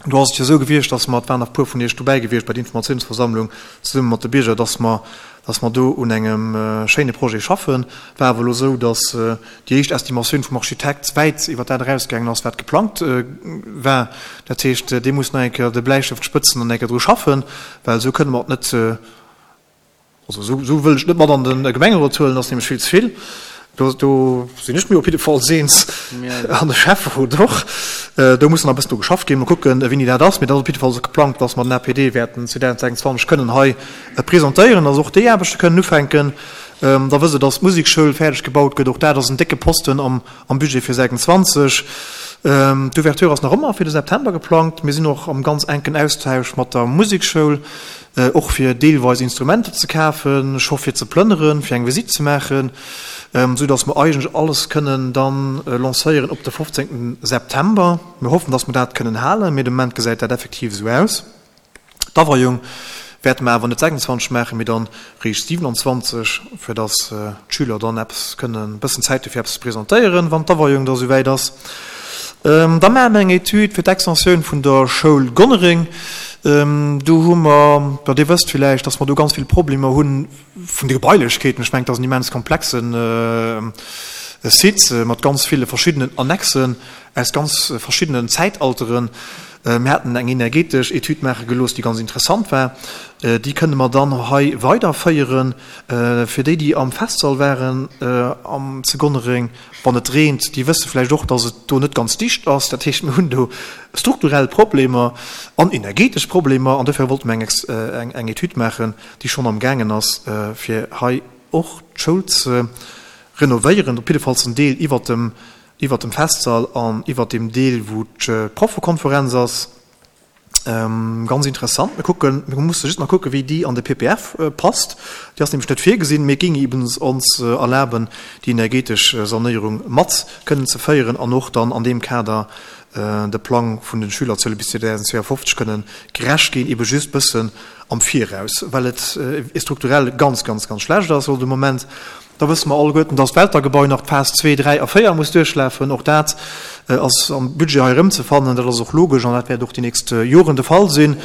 Do ass et jo esou gewiescht, dass mer, et waren nach e puer vun Iech dobäi gewiescht bei der Informatiounsversammlung zesumme mat de Bierger, dass mer, dass mer do un engem schéine Projet schaffen. War awer elo esou, dass déi éischt Estimatioun vum Architekt wäit iwwer dat erausgaangen ass, wat geplangt war. Dat heescht, dee muss nach eng Kéier de Bläistëft spëtzen an eng Kéier dru schaffen, well esou kënne mer et net, Also esou, esou wëll ech net mat an de Gemengerot huelen, ass nämlech vill ze vill. Do, do sinn ech mir op jidde Falls eens an de Schäfferot och. Do muss nach e bëssen dru geschafft ginn. Mol kucken, wéini dat ass. Mee dat ass op jidde Fall geplangt, dass mer den APD wäerten 2026 kënnen hei presentéieren, dass och déi Aarbechte kënnen ufänken. Da wësst Der, dass d'Musekschoul fäerdeg gebaut gëtt. Och dat ass en décke Posten am, am Budget fir 26. D'Ouverture ass nach ëmmer fir de September geplangt. Mir sinn och am ganz enken Austausch mat der Musekschoul. Och fir deelweis Instrumenter ze kafen, scho fir ze plënneren, fir eng Visitt ze maachen, esou datt mer eigentlech alles kënnen dann lancéieren op de 15 September. Mir hoffen, datt mer dat kënnen halen, mee de Moment gesäit dat effektiv esou aus. D'Aweiung wäerte mer awer net 26 maachen, mee dann réischt 27, fir datt d'Schüler dann eppes kënnen, e bëssen Zäit hu fir eppes ze presentéieren, wann d'Aweiung da souwäit ass. Da maache mer eng Etüd fir d'Extensioun vun der Schoul Gonnereng. Do hu mer, jo Dir wësst villäicht, dass mer do ganz vill Problemer hu vun de Gebailechkeeten. Ech mengen, dat ass en immens komplexe Site mat ganz ville verschiddenen Annexen aus ganz verschiddenen Zäitalteren. Mir haten eng energetesch Etüd maache gelooss, déi ganz interessant war. Déi kënne mer dann hei weiderféieren. Fir déi, déi am Festsall waren am zu Gonnereng, Wann et reent, déi wësse vläicht och, dass et do net ganz dicht ass. Dat heescht, mir hunn do strukturell Problemer an energetesch Problemer. An dofir wollte mir eng, eng Etüd maachen, déi schonn amgaangen ass, fir hei och d'Schoul ze renovéieren, op jiddefalls den Deel iwwert dem, iwwert dem Festsall an iwwert deem Deel, wou d'Proffekonferenz ass. Ganz interessant. Mir kucken, mir musse just nach kucken, wéi déi an de PPF passt. Déi ass nämlech net virgesinn, mee géing eben ons erlaben, déi energetesch Sanéierung mat kënnen ze féieren an och dann an deem Kader de Plang vun de Schülerzuele bis 2052 kënnen gerecht ginn, eben just bëssen am Viraus, well et strukturell ganz, ganz, ganz schlecht ass de Moment. Da wësse mer alleguerten, dass d'Welter-Gebai nach d'Phas zwee, dräi a véier muss duerchlafen. Och dat ass am Budget hei erëmzefannen. Dat ass och logesch an dat wäert och déi nächst Joren de Fall sinn.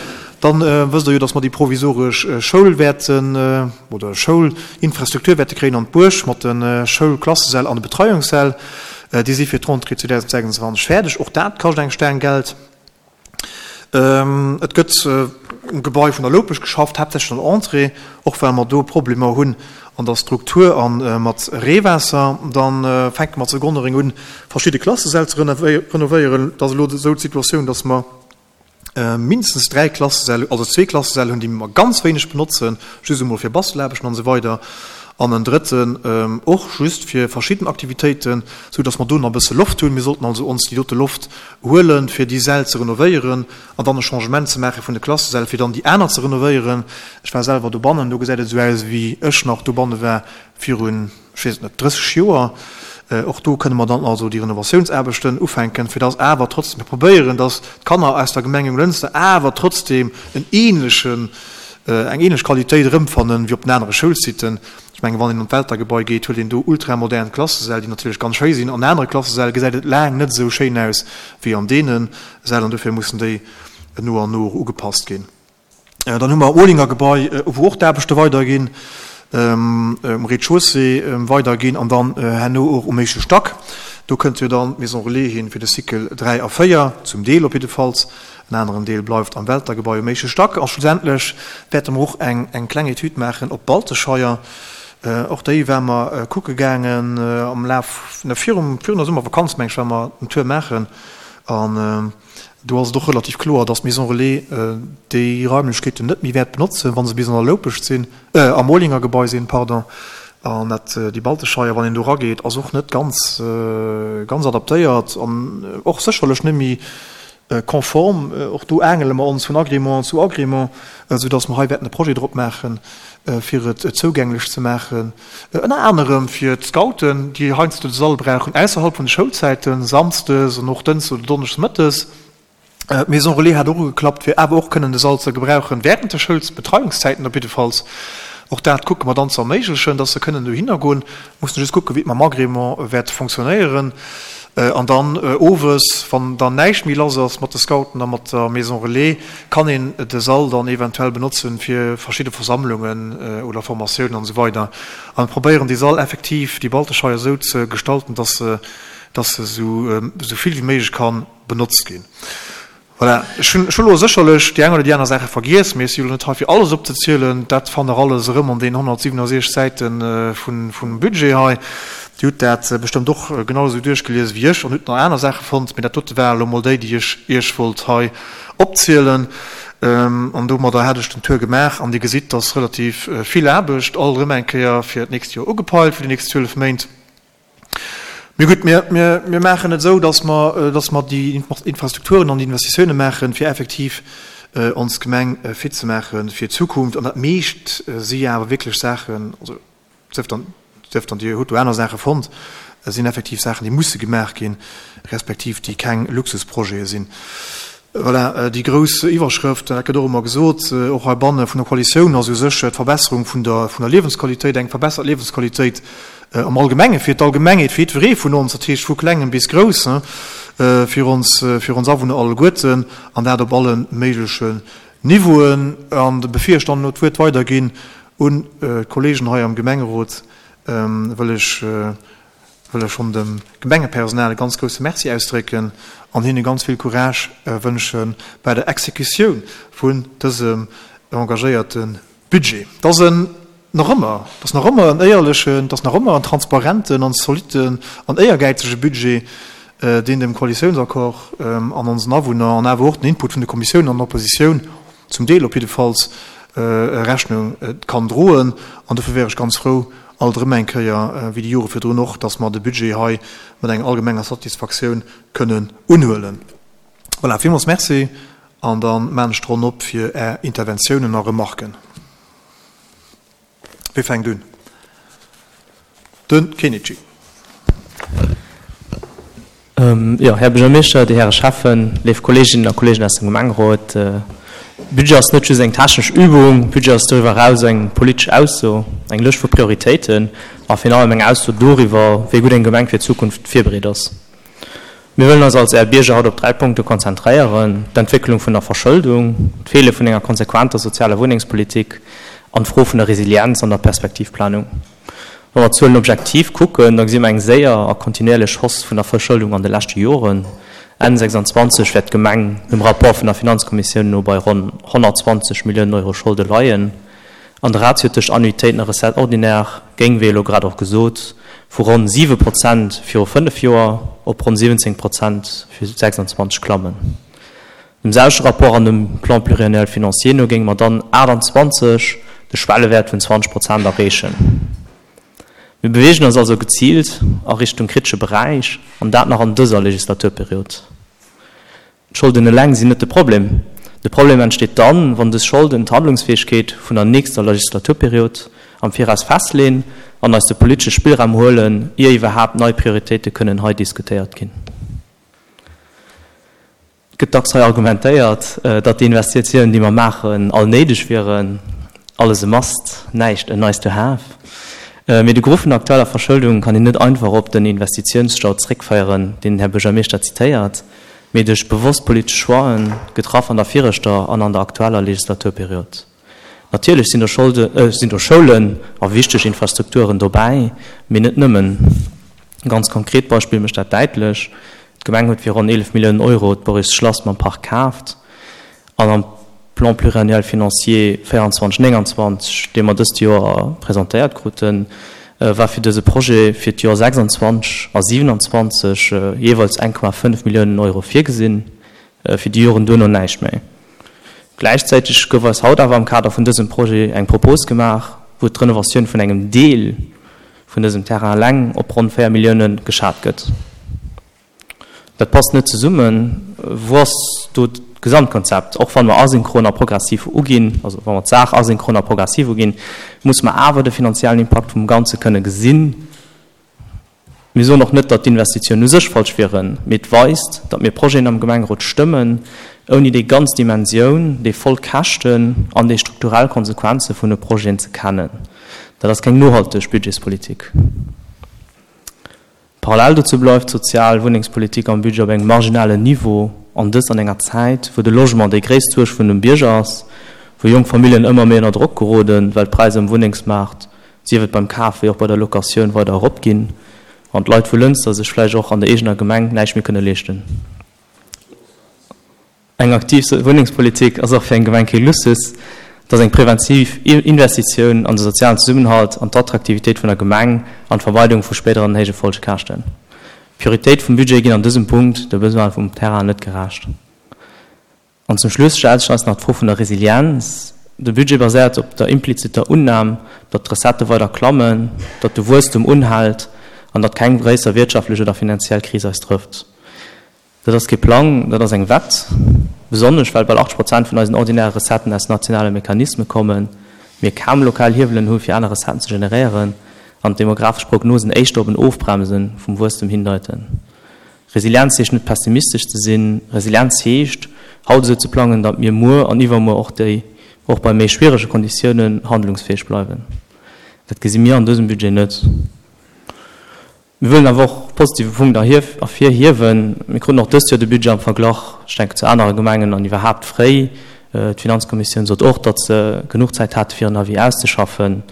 Da wësst Der jo, dass mer déi provisoresch Schoul wäerten, oder Schoulinfrastruktur wäerte kréien an d'Buerg mat de Schoulklassesäll an de Betreiungssäll. Déi si fir d'Rentrée 2026 fäerdeg. Och dat kascht eng Staang Geld. Et gëtt um Gebai vun der Loupech geschafft, haaptsächlech an der Entrée, och well mer do Problemer hunn an der Struktur a mat Reewaasser. Da fänke mer zu Gonnereng un, verschidde Klassesäll ze renovéieren. Et ass elo esou d'Situatioun, datt mer mindestens dräi Klassesäll, also zwee Klassesäll hunn, déi mer ganz wéineg benotzen, just emol fir Bastelaarbechten an esou weider, an en drëtten och just fir verschidden Aktivitéiten, esou datt mer do nach e bësse Loft hunn. Mir sollten also ons déi dote Loft huelen, fir déi Säll ze renovéieren an dann e Changement ze maache vun de Klassesäll, fir dann déi aner ze renovéieren. Ech war selwer dobannen, do gesäit et esou aus, wéi ech nach dobanne war virun, ech weess et net, 30 Joer. Och do kënne mer dann also déi Renovatiounsaarbechten ufänken, fir dass awer trotzdem, mir probéieren, dass d'Kanner aus der Gemeng Jonglënster awer trotzdem en ähnlechen, eng ähnlech Qualitéit erëmfannen, wéi op den anere Schoulsiten. Ech mengen, wann een an d'Weltergebai geet, huet een do ultramodern Klassesäll, déi natierlech ganz schéi sinn. An anere Klassesäll gesäit et laang net esou schéin aus wéi an deene Säll an dofir mussen déi no an no och ugepasst ginn. Dann hu mer Olinger Gebai, wou och d'Aarbechte weiderginn, um Rez-de-chaussée weiderginn an dann herno och um éischte Stack. Do kënnt jo dann d'Maison Relais hin fir de Cycle 3 a 4, zum Deel op jiddefalls. En aneren Deel bleift am Welter-Gebai um éischte Stack. A schlussendlech wäerte mer och eng eng kleng Etüd maachen op Baltescheier. Och déi ware mer kucke gaangen am Laf, ne, virum, virun der Summervakanz, meng ech, ware mer den Tour maachen. An do ass et och relativ kloer, dass d'Maison Relais déi Raimlechkeeten net méi wäert benotzen, wa se bis an der Loupescht sinn, am Olinger Gebai sinn, pardon. An dat, déi Baltescheier, wann een do erageet, ass och net ganz, ganz adaptéiert an och sécherlech net méi konform. Och do aangele mer ons vun Agrément zu Agrément, soudass mer hei wäerten e Projet drop maachen, fir et zougänglech ze maachen, ënner anerem fir d'Scouten, déi heiansdo de Sall brauchen ausserhalb vun de Schoulzäiten, samsdes an och dënschdes oder donneschdes mëttes. D'Maison Relais hat och ugeklappt, fir awer och kënnen de Sall ze gebrauchen während de Schoulsbetreiungszäiten op jiddefalls. Och dat kucke mer dann ze erméiglechen, dass se kënnen dohinner goen. Mussen just kucken, wéi et mam Agrément wäert fonctionnéieren. An dann owes, wann dann näischt méi lass ass mat de Scouten a mat der Maison Relais, kann een de Sall dann eventuell benotzen fir verschidde Versammlungen oder Formatiounen an esou weider. A mir probéieren dee Sall effektiv, déi Balteschei esou ze gestalten, dass se, dass se esou vill wéi méiglech ka benotzt ginn. Voilà, ech hunn elo sécherlech déi eng oder déi aner Saache vergiess, mee ech si elo net hei fir alles opzezielen. Dat fannt Der alles erëm an deenen 167 Säite vum Budget hei. Dir hutt dat bestëmmt och genau esou duerchgelies wéi ech an hutt nach aner Saache fonnt, mee dat dote ware elo mol déi, déi ech Iech wollt hei opzielen. An domadder hat ech den Tour gemaach an Dir gesitt, dass relativ vill Aarbecht alt erëm eng Kéier fir d'nächst Joer ugepeilt, fir déi nächst 12 Méint. Mee gutt, mir, mir, mir maachen et esou, dass mer, dass mer déi Infrastrukturen an déi Investitiounen maachen, fir effektiv ons Gemeng fit ze maache fir d'Zukunft. An dat meescht si jo awer wierklech Saachen, also sief dann, sief dann Dir hutt do aner Saache fonnt, sinn effektiv Saachen, déi musse gemaach ginn, respektiv déi keng Luxusprojete sinn. Voilà, déi grouss Iwwerschrëft, dat gëtt och ëmmer gesot, och heibanne vun der Koalitioun, ass u sech d'Verbesserung vun der, vun der Liewensqualitéit, eng verbessert Liewensqualitéit am Allgemenge fir d'Allgemengheet, fir jiddweree vun ons, dat heescht vu Klengem bis Groussen, fir ons, fir ons Awunner alleguerten, an dat op alle méiglechen Niveauen. An bevir ech dann elo d'Wuert weiderginn un d'Kollegen hei am Gemengerot, wëll ech, wëll ech schonn dem Gemengepersonal e ganz grousse Merci ausdrécken an hinne ganz vill Courage wënsche bei der Exekutioun vun dësem engagéierte Budget. Et ass en nach ëmmer, et ass nach ëmmer en éierlechen, et ass nach ëmmer en transparenten an zolitten an éiergäizege Budget, deen dem Koalitiounsaccord an onsen Awunner an awer och den Input vun de Kommissiounen an der Oppositioun, zum Deel op jiddefalls, Rechnung kann droen. An dofir wär ech ganz frou, alt erëm eng Kéier, wéi déi Jore virdrun och, dass mer de Budget hei mat enger allgemenger Satisfaktioun kënnen unhuelen. Voilà, villmools Merci an da maan ech d'Ronn op fir Är Interventiounen a Remarken. Wie fänkt un? De Kenichi. Jo, Här Buergermeeschter, Dir Häre Schäffen, léif Kolleeginnen a Kolleegen aus dem Gemengerot, Budget ass net just eng technesch Übung, Budget ass doriwwer eraus eng politesch Ausso, eng Lëscht vu Prioritéiten a virun allem eng Ausso doriwwer, wéi gutt eng Gemeng fir d'Zukunft virbereet ass. Mir wëllen eis als Är Bierger haut op 3 Punkte konzentréieren, d'Entwécklung vun der Verschëldung, d'Feele vun enger konsequenter sozialer Wunnengspolitik an d'Fro vun der Resilienz an der Perspektivplanung. Wa mer d'Zuelen objektiv kucken, da gesi mer eng séier a kontinuierlech Hausse vun der Verschëldung an de leschte Joren. Enn 26 wäert d'Gemeng dem Rapport vun der Finanzkommissioun no bei ronn 120 Milliounen Euro Scholde leien. An de Ratio tëscht Annuitéiten a Recettes ordinaires géing, wéi elo grad och gesot, vu ronn 7 Prozent viru fënnef Joer op ronn 17 Prozent fir 26 klammen. Dem selwechte Rapport an dem Plan pluriannuel financier no géinge mer dann 28 de Schwellewäert vun 20 Prozent erreechen. Mir beweegen eis also geziilt a Richtung kritesche Beräich, an dat nach an dëser Legislaturperiod. D'Scholden eleng sinn net de Problem. De Problem entsteet dann, wann dës Scholden d'Handlungsfäegkeet vun der nächster Legislaturperiod am Viraus festleen an eis de politesche Spillraum huelen, ier iwwerhaapt nei Prioritéite kënnen hei diskutéiert ginn. Et gëtt dacks hei argumentéiert, datt déi Investitiounen, déi mer maachen, all néideg wieren, alles e must, näischt e nice to have. Mee de Gros vun der aktueller Verschëldung kann een net einfach op den Investitiounsstau zréckféieren, deen den Här Buergermeeschter zitéiert, mee duerch bewosst politesch Choixen, getraff an der viregter an an der aktueller Legislaturperiod. Natierlech sinn do Scholde, sinn do Schoulen a wichteg Infrastrukturen dobäi, mee net nëmmen. E ganz konkret Beispill mécht dat däitlech, D'Gemeng huet fir ronn 11 Milliounen Euro d'Boris Schlass mam Park kaaft an am Plan pluriannuel financier 24, 29, dee mer dëst Joer presentéiert kruten, war fir dëse Projet fir d'Joer 26 a 27 jeeweils 1,5 Milliounen Euro virgesinn, fir déi Joren duerno näischt méi. Gläichzäiteg gouf eis haut awer am Kader vun dësem Projet eng Propos gemaach, wou d'Renovatioun vun engem Deel vun dësem Terrain eleng op ronn 4 Millioune geschat gëtt. Dat passt net zesummen. Wou ass do d'Gesamtkonzept? Och wann mer asynchron a progressiv uginn, also wa mer d'Saach asynchron a progressiv uginn, muss mer awer de finanziellen Impakt vum Ganze kënne gesinn. Mir soen och net, datt d'Investitiounen u sech falsch wieren, mee et weist, datt mir Projeten am Gemengerot stëmmen, ouni déi ganz Dimensioun, déi voll Käschten an déi strukturell Konsequenze vun de Projeten ze kennen. Dat ass keng nohalteg Budgetspolitik. Parallel dozou bleift d'sozial Wunnengspolitik am Budget op engem marginalen Niveau, an dëst an enger Zäit, wou de Logement déi gréisst Suerg vun dem Bierger ass, wou jonk Familljen ëmmer méi ënner Drock geroden, well d'Präisser um Wunnengsmaart sief et beim Kaf wéi och bei der Locatioun, weider eropginn an d'Leit vu Lënster sech vläicht och an der eegener Gemeng näischt méi kënne leeschten. Eng aktiv Wunnengspolitik ass och fir eng Gemeng kee Luxus, et ass eng präventiv Investitioun an de sozialen Zesummenhalt, an d'Attraktivitéit vun der Gemeng an d'Vermeidung vu spéideren héije Folgekäschten. D'Prioritéit vum Budget ginn an dësem Punkt de Besoine vum Terrain net gerecht. An zum Schluss stellt sech eis nach d'Fro vun der Resilienz. De Budget baséiert op der impliziter Unnam, datt d'Recettë weider klammen, datt de Wuesstum unhält an datt keng gréisser wirtschaftlech oder finanziell Kris eis trëfft. Dat ass kee Plang, dat ass eng Wett. Besonnesch well bal 80 Prozent vun eisen ordinäre Recetten aus nationale Mechanisme kommen, mir kaum lokal Hiewelen hu fir aner Recetten ze generéieren an d'demografesch Prognosen éischter op en Ofbremse vum Wuesstem hindeiten. Resilienz heescht net pessimistesch ze sinn. Resilienz heescht, haut esou ze plangen, datt mir muer an iwwermuer och déi, och bei méi schwierege Konditiounen, handlungsfäeg bleiwen. Dat gesi mir an dësem Budget net. Mir wëllen awer och positive Punkt ervirhiewen. Mir kruten och dëst Joer de Budget am Verglach, ech denken, zu anere Gemengen an iwwerhaapt fréi. D'Finanzkommissioun sot och, datt se genuch Zäit hate fir en Avis auszeschaffen.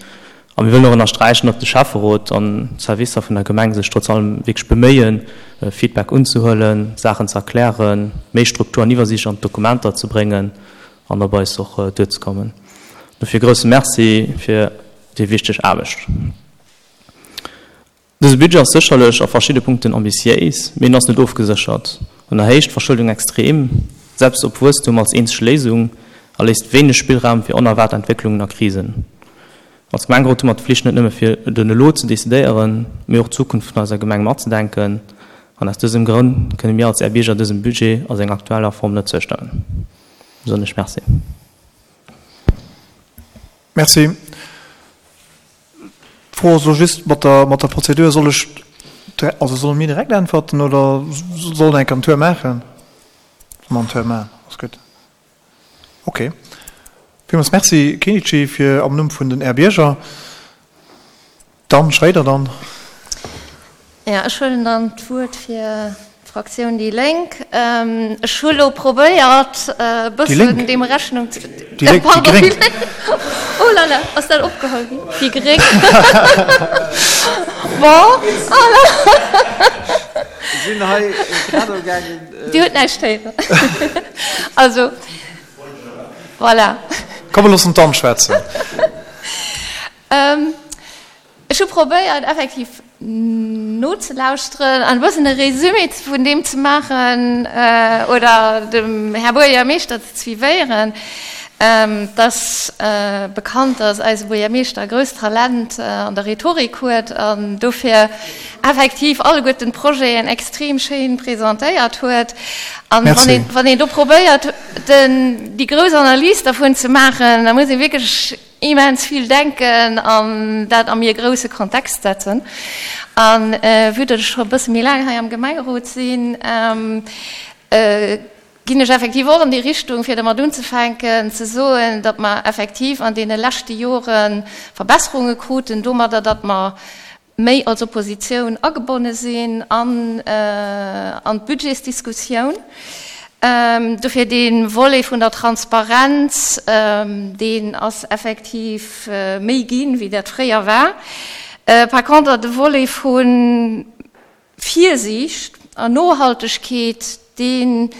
A mir wëllen och ënnersträichen, datt de Schäfferot an d'Servicer vun der Gemeng sech trotz allem wierklech beméien, Feedback unzehuelen, Saachen ze erklären, méi Struktur an Iwwersiicht an d'Dokumenter ze bréngen an op eis och duerzekommen. Dofir e grousse Merci fir déi wichteg Aarbecht. Dëse Budget ass sécherlech a verschidde Punkten ambitiéis, mee en ass net ofgeséchert. En erhéicht d'Verschëldung extrem, setzt op Wuesstum als eenzeg Léisung a léisst wéineg Spillraum fir onerwaart Entwécklungen a Krisen. Als Gemengerot hu mer d'Flicht net nëmme fir den Elo ze decidéieren, mee och d'Zukunft vun eiser Gemeng matzedenken. An aus dësem Grënn kënne mir als Är Bierger dësem Budget a senger aktueller Form net zoustëmmen. Besonnesch Merci. Merci. D'Fro ass elo just mat der, mat der Prozedur, Soll ech, also solle mir direkt äntwerten oder soll en enk en Tour maachen? Solle mer en Tour maachen, ass gutt. Okay. Villmools Merci, Kenichi, fir am Numm vun den Är Bierger. D'Anne Schroeder dann. Jo, ech huelen dann d'Wuert fir d'Fraktioun déi Lénk. Ech hu lo probéiert, e bëssen deem Rechnung ze. Déi Lénk, déi Gréng. Oh là là, ass dat opgeholl ginn? Déi Gréng. Bon, oh là. Mir sinn hei grad amgaangen. Dir hutt näischt héieren. Also, voilà. Komm, mir loossen d'Anne schwätzen. Ech hu probéiert effektiv nozelauschteren an e bëssen e Résumé vun deem ze maachen oder dem Här Buergermeeschter ze suivéieren. Et ass bekannt, dass eise Buergermeeschter e grousst Talent an der Rhetorik huet an dofir effektiv alleguerten d'Projeten extrem schéin presentéiert huet. An wann een do probéiert, déi grouss Analys dervun ze maachen, da muss ee wierklech immens vill denken an dat a méi e grousse Kontext setzen. A vue datt ech scho e bësse méi laang hei am Gemengerot sinn, ginn ech effektiv och an déi Richtung, fir dermat unzefänken, ze soen, datt mer effektiv an deene leschte Jore Verbesserunge kruten domadder, datt mer méi als Oppositioun agebonne sinn an an d'Budgetsdiskussioun. Dofir dee Volet vun der Transparenz, deen ass effektiv méi ginn, wéi dat fréier war. Par contre, de Volet vun. Virsiicht an Nohaltegkeet, dee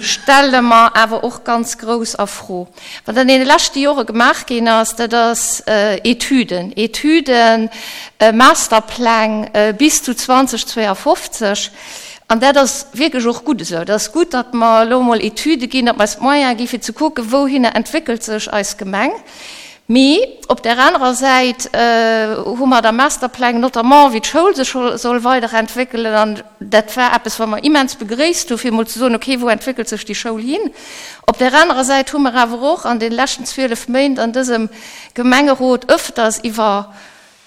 stelle mer awer och ganz grouss a Fro. Wat an deene leschte Jore gemaach ginn ass, dat ass Etüden, Etüden, Masterpläng bis zu 2052. An dat ass wierklech och gutt esou. Et ass gutt, datt mer elo emol Etüde ginn, datt mer eis d'Moyene gi fir ze kucken, wouhinner entwéckelt sech eis Gemeng. Mee op där anerer Säit hu mer da Masterpläng, notamment wéi d'Schoul sech soll weiderentwéckelen. An dat war eppes, wat mer immens begréisst hu fir emol ze soen, okay, wou entwéckelt sech déi Schoul hin? Op där anerer Säit hu mer awer och an de leschten 12 Méint an dësem Gemengerot ëfters iwwer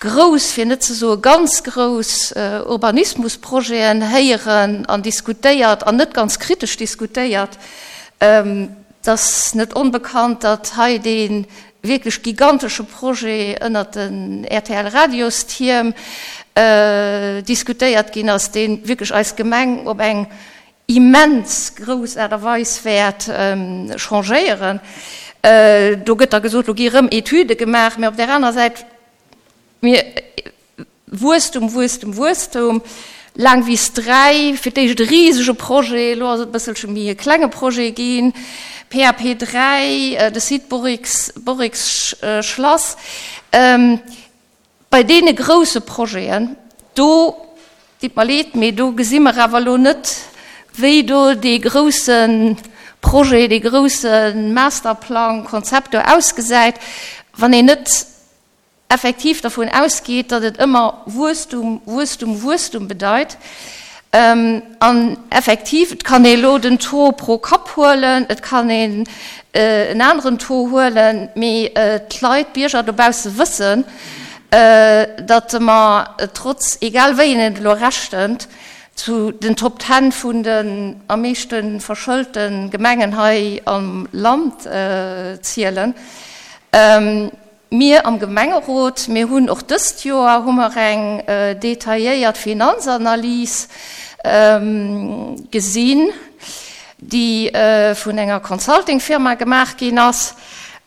grouss, fir net ze soe ganz grouss Urbanismusprojeten héieren an diskutéiert an net ganz kritesch diskutéiert. Et ass net onbekannt, datt hei dee wierklech gigantesche Projet ënnert den RTL-Radiostierm diskutéiert ginn ass, dee wierklech eis Gemeng op eng immens grouss Aart a Weis wäert changéieren. Do gëtt da gesot, lo gi erëm Etüde gemaach, mä op där anerer Säit, mir, Wuesstum, Wuesstum, Wuesstum, Laangwiss 3, fir d'éischt e risege Projet, elo ass et e bësselche méi e klenge Projet ginn, PAP 3, de Site Borrix, Borrix-Schlass. Bei deene grousse Projeten, do, ditt mer leed, mee do gesi mer awer elo net, wéi do dee grousse Projet, dee grousse Masterplang, Konzept do ausgesäit, wann een net effektiv dervun ausgeet, datt et ëmmer Wuesstum, Wuesstum, Wuesstum bedeit. An effektiv, et kann ee elo den Taux pro Kapp huelen, et kann een en aneren Taux huelen, mee d'Leit, d'Bierger dobausse wëssen, datt mer trotz, egal wéi een et elo rechent, zu den Top Ten vun den am meeschte verschëlte Gemengen hei am Land zielen. Mir am Gemengerot, mir hunn och dëst Joer hu mer eng detailléiert Finanzanalys gesinn, déi vun enger Consultingfirma gemaach ginn ass,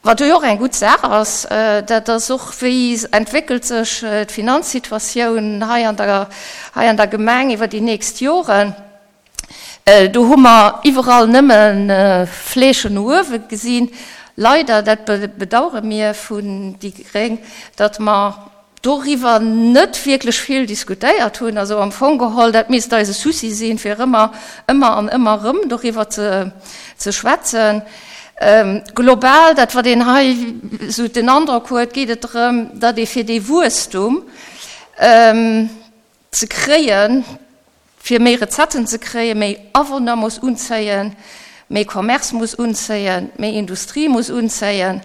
wat jo och eng gutt Saach ass. Dat ass och, wéi entwéckelt sech d'Finanzsituatioun hei an der, hei an der Gemeng iwwer déi nächst Joren. Do hu mer iwwerall nëmme Flächen no uewe gesinn. Leider, dat bedauere mir vun déi gréng, datt mer doriwwer net wierklech vill diskutéiert hunn. Also am Fong geholl, dat misst eise Souci sinn, fir ëmmer, ëmmer an ëmmer erëm doriwwer ze schwätzen. Global, dat wat een hei esou den Androck huet, geet et drëm, datt ee fir dee Wuesstum ze kréien, Fir méi Recetten ze kréien, méi Awunner muss unzéien, méi Commerce muss unzéien, méi Industrie muss unzéien.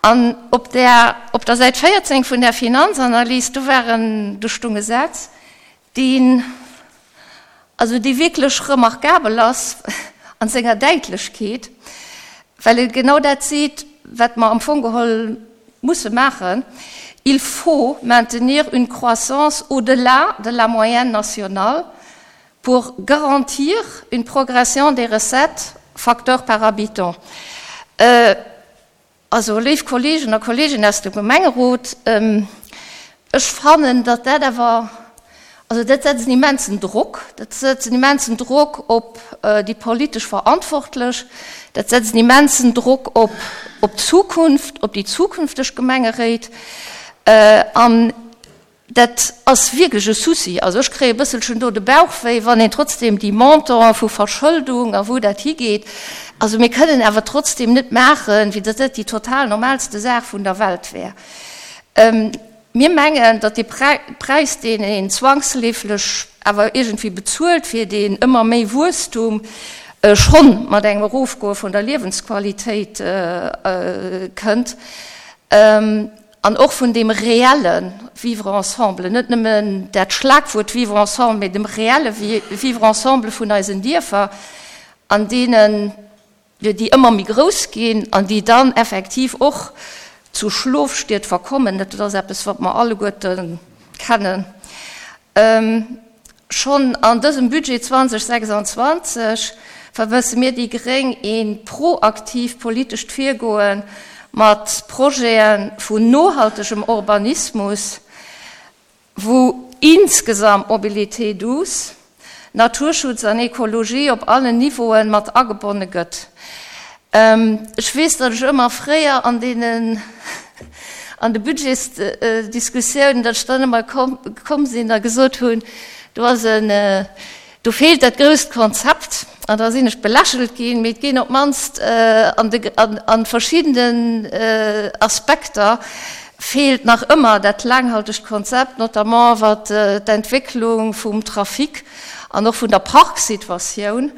An op där, op der Säit 14 vun där Finanzanalys, do war en, do stung e Saz, deen, also dee wierklech remarkabel ass an senger Däitlechkeet, well e genau dat seet, wat mer am Fong geholl musse maachen, Il faut maintenir une croissance au-delà de la moyenne nationale pour garantir une progression des recettes facteur par habitant. Also, léif Kolleegen a Kolleeginnen aus dem Gemengerot, ech fannen, datt dat awer, also dat setzt en immensen Drock, dat setzt en immensen Drock op déi politesch Verantwortlech, dat setzt en immensen Drock op op d'Zukunft, op déi zukünfteg Gemengeréit. An dat ass wierklech e Souci. Also ech kréie e bësselchen do de Bauch wéi, wann een trotzdem déi Montantë vu Verschëldung a wou dat higeet, also mir kënnen awer trotzdem net maachen, wéi datt dat déi total normalste Saach vun der Welt wär. Mir mengen, datt dee Präis, deen een zwangsleeflech awer iergendwéi bezuelt fir deen ëmmer méi Wuesstum, schonn mat engem Erofgoe vun der Liewensqualitéit kënnt an och vun deem reelle Vivre ensemble, net nëmmen dat Schlagwuert Vivre ensemble, mee dem reelle Vivre ensemble vun eisen Dierfer, an deenen déi ëmmer méi grouss ginn an déi dann effektiv och zu Schlofstied verkommen, dat ass eppes, wat mer alleguerte kennen. Schonn an dësem Budget 2026 vermësse mir déi gréng ee proaktiivt politescht Virgoe mat Projete vun nohaltegem Urbanismus, wou. insgesamt Mobilité douce, Naturschutz an Ekologie op allen Niveauen mat agebonne gëtt. Ech weess, datt ech ëmmer fréier an deenen, an de Budgetsdiskussiounen, datt ech dann ëmmer komm sinn a gesot hunn, do ass en, do feelt dat grousst Konzept. An da sinn ech belächelt ginn. Mee et ginn op d'mannst an de, an verschiddenen Aspekter feelt nach ëmmer dat laanghaltegt Konzept, notamment wat d'Entwécklung vum Trafic an och vun der Parksituatioun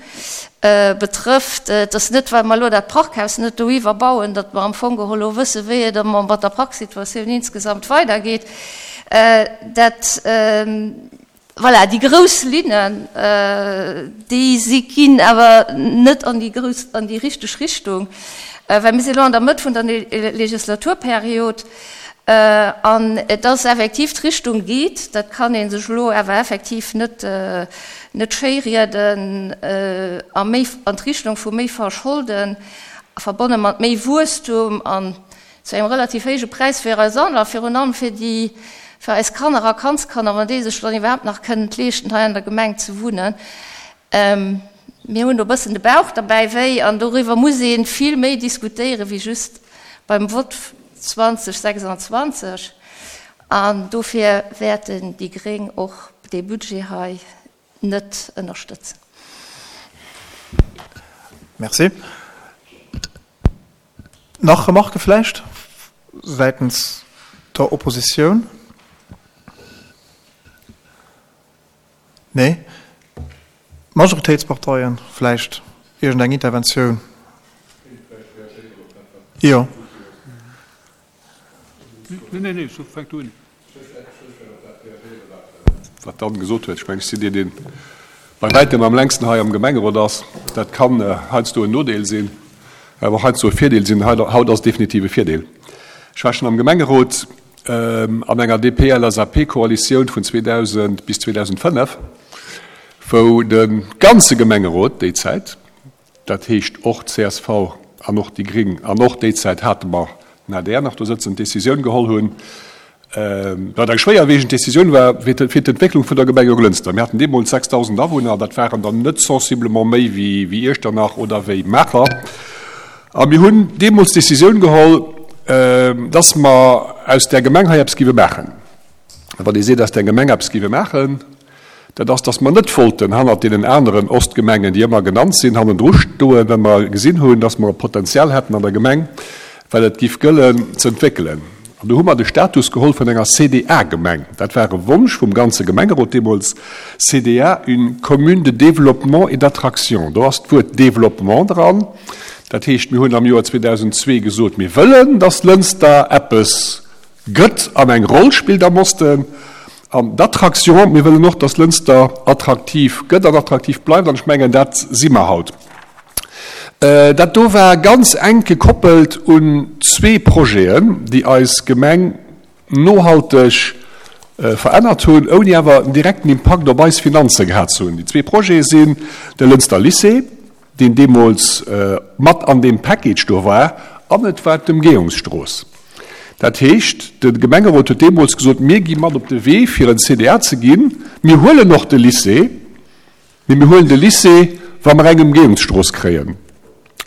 betrëfft. Et ass net, well mer elo dat Parkhaus net doiwwer bauen, datt mer am Fong geholl elo wëssen, wéi et mat der Parksituatioun insgesamt weidergeet. Dat, voilà, déi grouss Linnen, déi si ginn awer net an déi grouss, an déi richteg Richtung, well mir si elo an der Mëtt vun der Legislaturperiod an et ass effektiv, d'Richtung geet, dat kann ee sech elo awer effektiv net, net schéirieden, a méi an d'Richtung vu méi Verscholden, verbonne mat méi Wuesstum an zu engem relativ héije Präis fir eis all a virun allem fir déi, fir eis Kanner a Kandskanner, wann déi sech dann iwwerhaapt nach kënnen leeschten, hei an der Gemeng ze wunnen. Mir hunn do e bëssen de Bauch derbäi wéi an doriwwer muss ee vill méi diskutéieren, wéi just beim Vott 2026. An dofir wäerten déi gréng och dee Budget hei net ënnerstëtzen. Merci. Nach Remarquë vläicht säitens der Oppositioun? Nee. D'Majoritéitsparteien vläicht iergendeng Interventioun? Jo. Wat d'Anne gesot huet, ech mengen, ech sinn deen, dee bei wäitem am längsten hei am Gemengerot ass. Dat kann heiansdo en Nodeel sinn, awer och heiansdo e Virdeel sinn. Haut ass et definitiv e Virdeel. Ech war schonn am Gemengerot an enger DP-LSAP-Koalitioun vun 2000 bis 2005, wou de ganze Gemengerot déi Zäit, Dat heescht och csv an och déi Gring an och déi Zäit hate mer den adr nach do sëtzen, d'Décisioun geholl hunn, wat eng schwéierwiegend Décisioun war fir d'Entwécklung vun der Gemeng Jonglënster. Mir haten deemools 6.000 Awunner, dat waren der net sensiblement méi wéi Iechternach oder wéi Maacher. A mir hunn deemools d'Décisioun geholl, dass mer aus där Gemeng hei eppes géife maachen. A wann ee seet, aus där Gemeng eppes géife maachen, Dat ass, dass mer net wollten hannert deenen aneren Ostgemengen, déi ëmmer genannt sinn, hannendru stoen, well mer gesinn hunn, dass mer e Potenzial hätten an der Gemeng, well et giff gëllen ze entwéckelen. An do hu mer de Status geholl vun enger CDA-Gemeng. Dat war e Wonsch vum ganze Gemengerot deemools, CDA, une commune de développement et d'attraction. Do ass d'Wuert Développement dran. Dat heescht, mir hunn am Joer 2002 gesot, mir wëllen, dass Lënster eppes gëtt an eng Roll spillt am Osten. An d'Attraction, mir wëllen och, dass Lënster attraktiv gëtt an attraktiv bleift, an ech mengen, dat si mer haut. Dat do war ganz enk gekoppelt un zwee Projeten, déi eis Gemeng nohalteg verännert hunn, ouni awer en direkten Impakt op eis Finanze gehat ze hunn. Déi zwee Projete sinn de Lënster Lycée, deen deemools mat an deem Package do war, an et war d'Ëmgehungsstrooss. Dat heescht, de Gemengerot huet deemools gesot, mir gi mat op de Wee fir en CDA ze ginn, mir huelen och de Lycée, mee mir huelen de Lycée, wa mer eng Ëmgehungsstrooss kréien.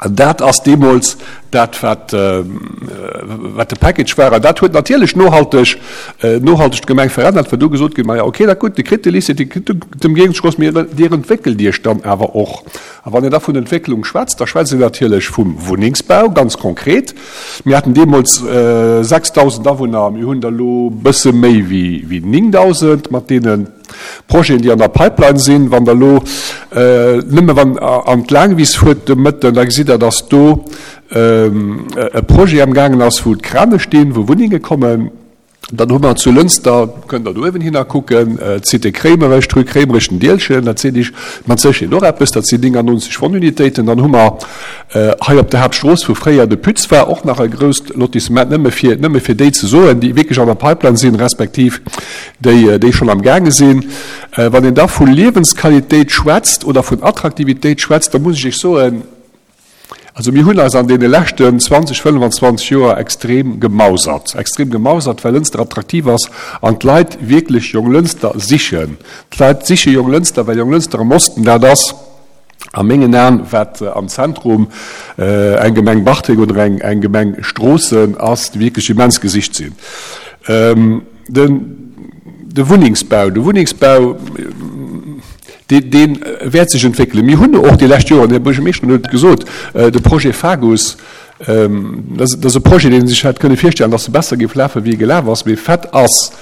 An dat ass deemools dat, wat wat de Package war. An dat huet natierlech nohalteg nohalteg d'Gemeng verännert, well do gesot ginn, maja okay, dat gutt, Dir kritt de Lycée, Dir kritt d'Ëmgehungsstrooss, mee Dir entwéckelt Iech dann awer och. A wann een da vun Entwécklung schwätzt, da schwätzt een natierlech vum Wunnengsbau, ganz konkret. Mir haten deemools 6.000 Awunner, mir hunn der elo e bësse méi wéi 9.000 mat deene Projeten, déi an der Pipeline sinn. Wann Der elo nëmme wann an d'Laangwiss fuert de Mëtten, da gesitt Der, dass do e Projet amgaangen ass, wou d'Krane stinn, wou Wunnenge kommen. Dann hu mer zu Lënster, kënnt Der do uewenhinner kucken, d'Cité Kréimerech, d'Rue Kréimerech, den Dielchen, dat seet Iech mat Sécherheet och eppes, dat sinn 99 Wunnunitéiten. Dann hu mer hei op der Haaptstrooss, wou fréier de Pütz war, och nach e grousst Lotissement, nëmme fir, nëmme fir déi ze soen, déi wierklech an der Pipeline sinn, respektiv déi, déi schonn amgaange sinn. Wann een da vu Liewensqualitéit schwätzt oder vun Attraktivitéit schwätzt, da muss ech Iech soen,. Also mir hunn eis an deene leschten 20, 25 Joer extrem gemausert, extrem gemausert, well Lënster attraktiv ass an d'Leit wierklech Jonglënster sichen. D'Leit siche Jonglënster, well Jonglënster am Osten dat ass, a mengen Aen, wat am Zentrum eng Gemeng Bartreng oder eng Gemeng Stroossen ass, déi wierklech immens gesicht sinn. De Wunnengsbau, de Wunnengsbau, dee wäert sech entwéckelen. Mir hunn och déi lescht Joren, den Här Buergermeeschter huet et gesot, de Projet FAGUS, dat ass e Projet, deen ee sech hätt kënne virstellen, datt e besser géif lafen, wéi e gelaf ass. Mee Fait ass,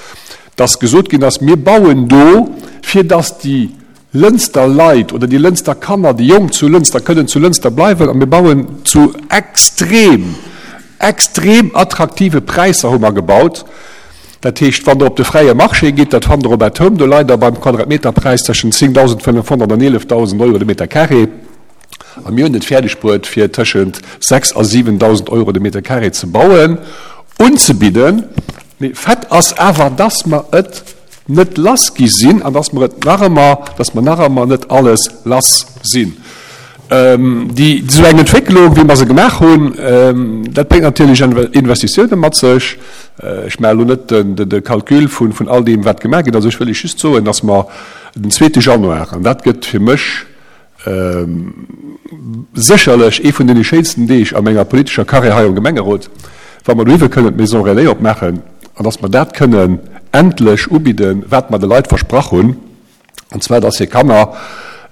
datt gesot ginn ass, mir bauen do, fir datt déi Lënster Leit oder déi Lënster Kanner, déi Jonk zu Lënster kënnen zu Lënster bleiwen a mir bauen zu extrem, extrem attraktive Präisser hu mer gebaut. Dat heescht, wann Der op de fräie Marché gitt, dat fannt Der op At Home, do leit Der beim Quadratmeterpräis tëschent 10.500 an 11.000 Euro de Meter carré. A mir hunn et fäerdeg bruet, fir tëschent 6 a 7.000 Euro de Meter carré ze bauen, unzebidden. Mee Fait ass awer, dass mer et net lass gi sinn an dass mer et nach ëmmer, dass mer nach ëmmer net alles lass sinn. Déi, esou eng Entwécklung, wéi mer se gemaach hunn, dat bréngt natierlech Investitiounen mat sech. Ech maache elo net de Calcul vun all deem, wat gemaach ginn ass. Ech wëll Iech just soen, dass mer den zweete Januar, an dat gëtt fir mech Sécherlech ee vun deene schéinsten Deeg a menger politescher Carrière hei am Gemengerot, wa mer dohiwwe kënnen d'Maison Relais opmaachen an dass mer dat kënnen endlech ubidden, wat mer de Leit versprach hunn, an zwar dass hir Kanner,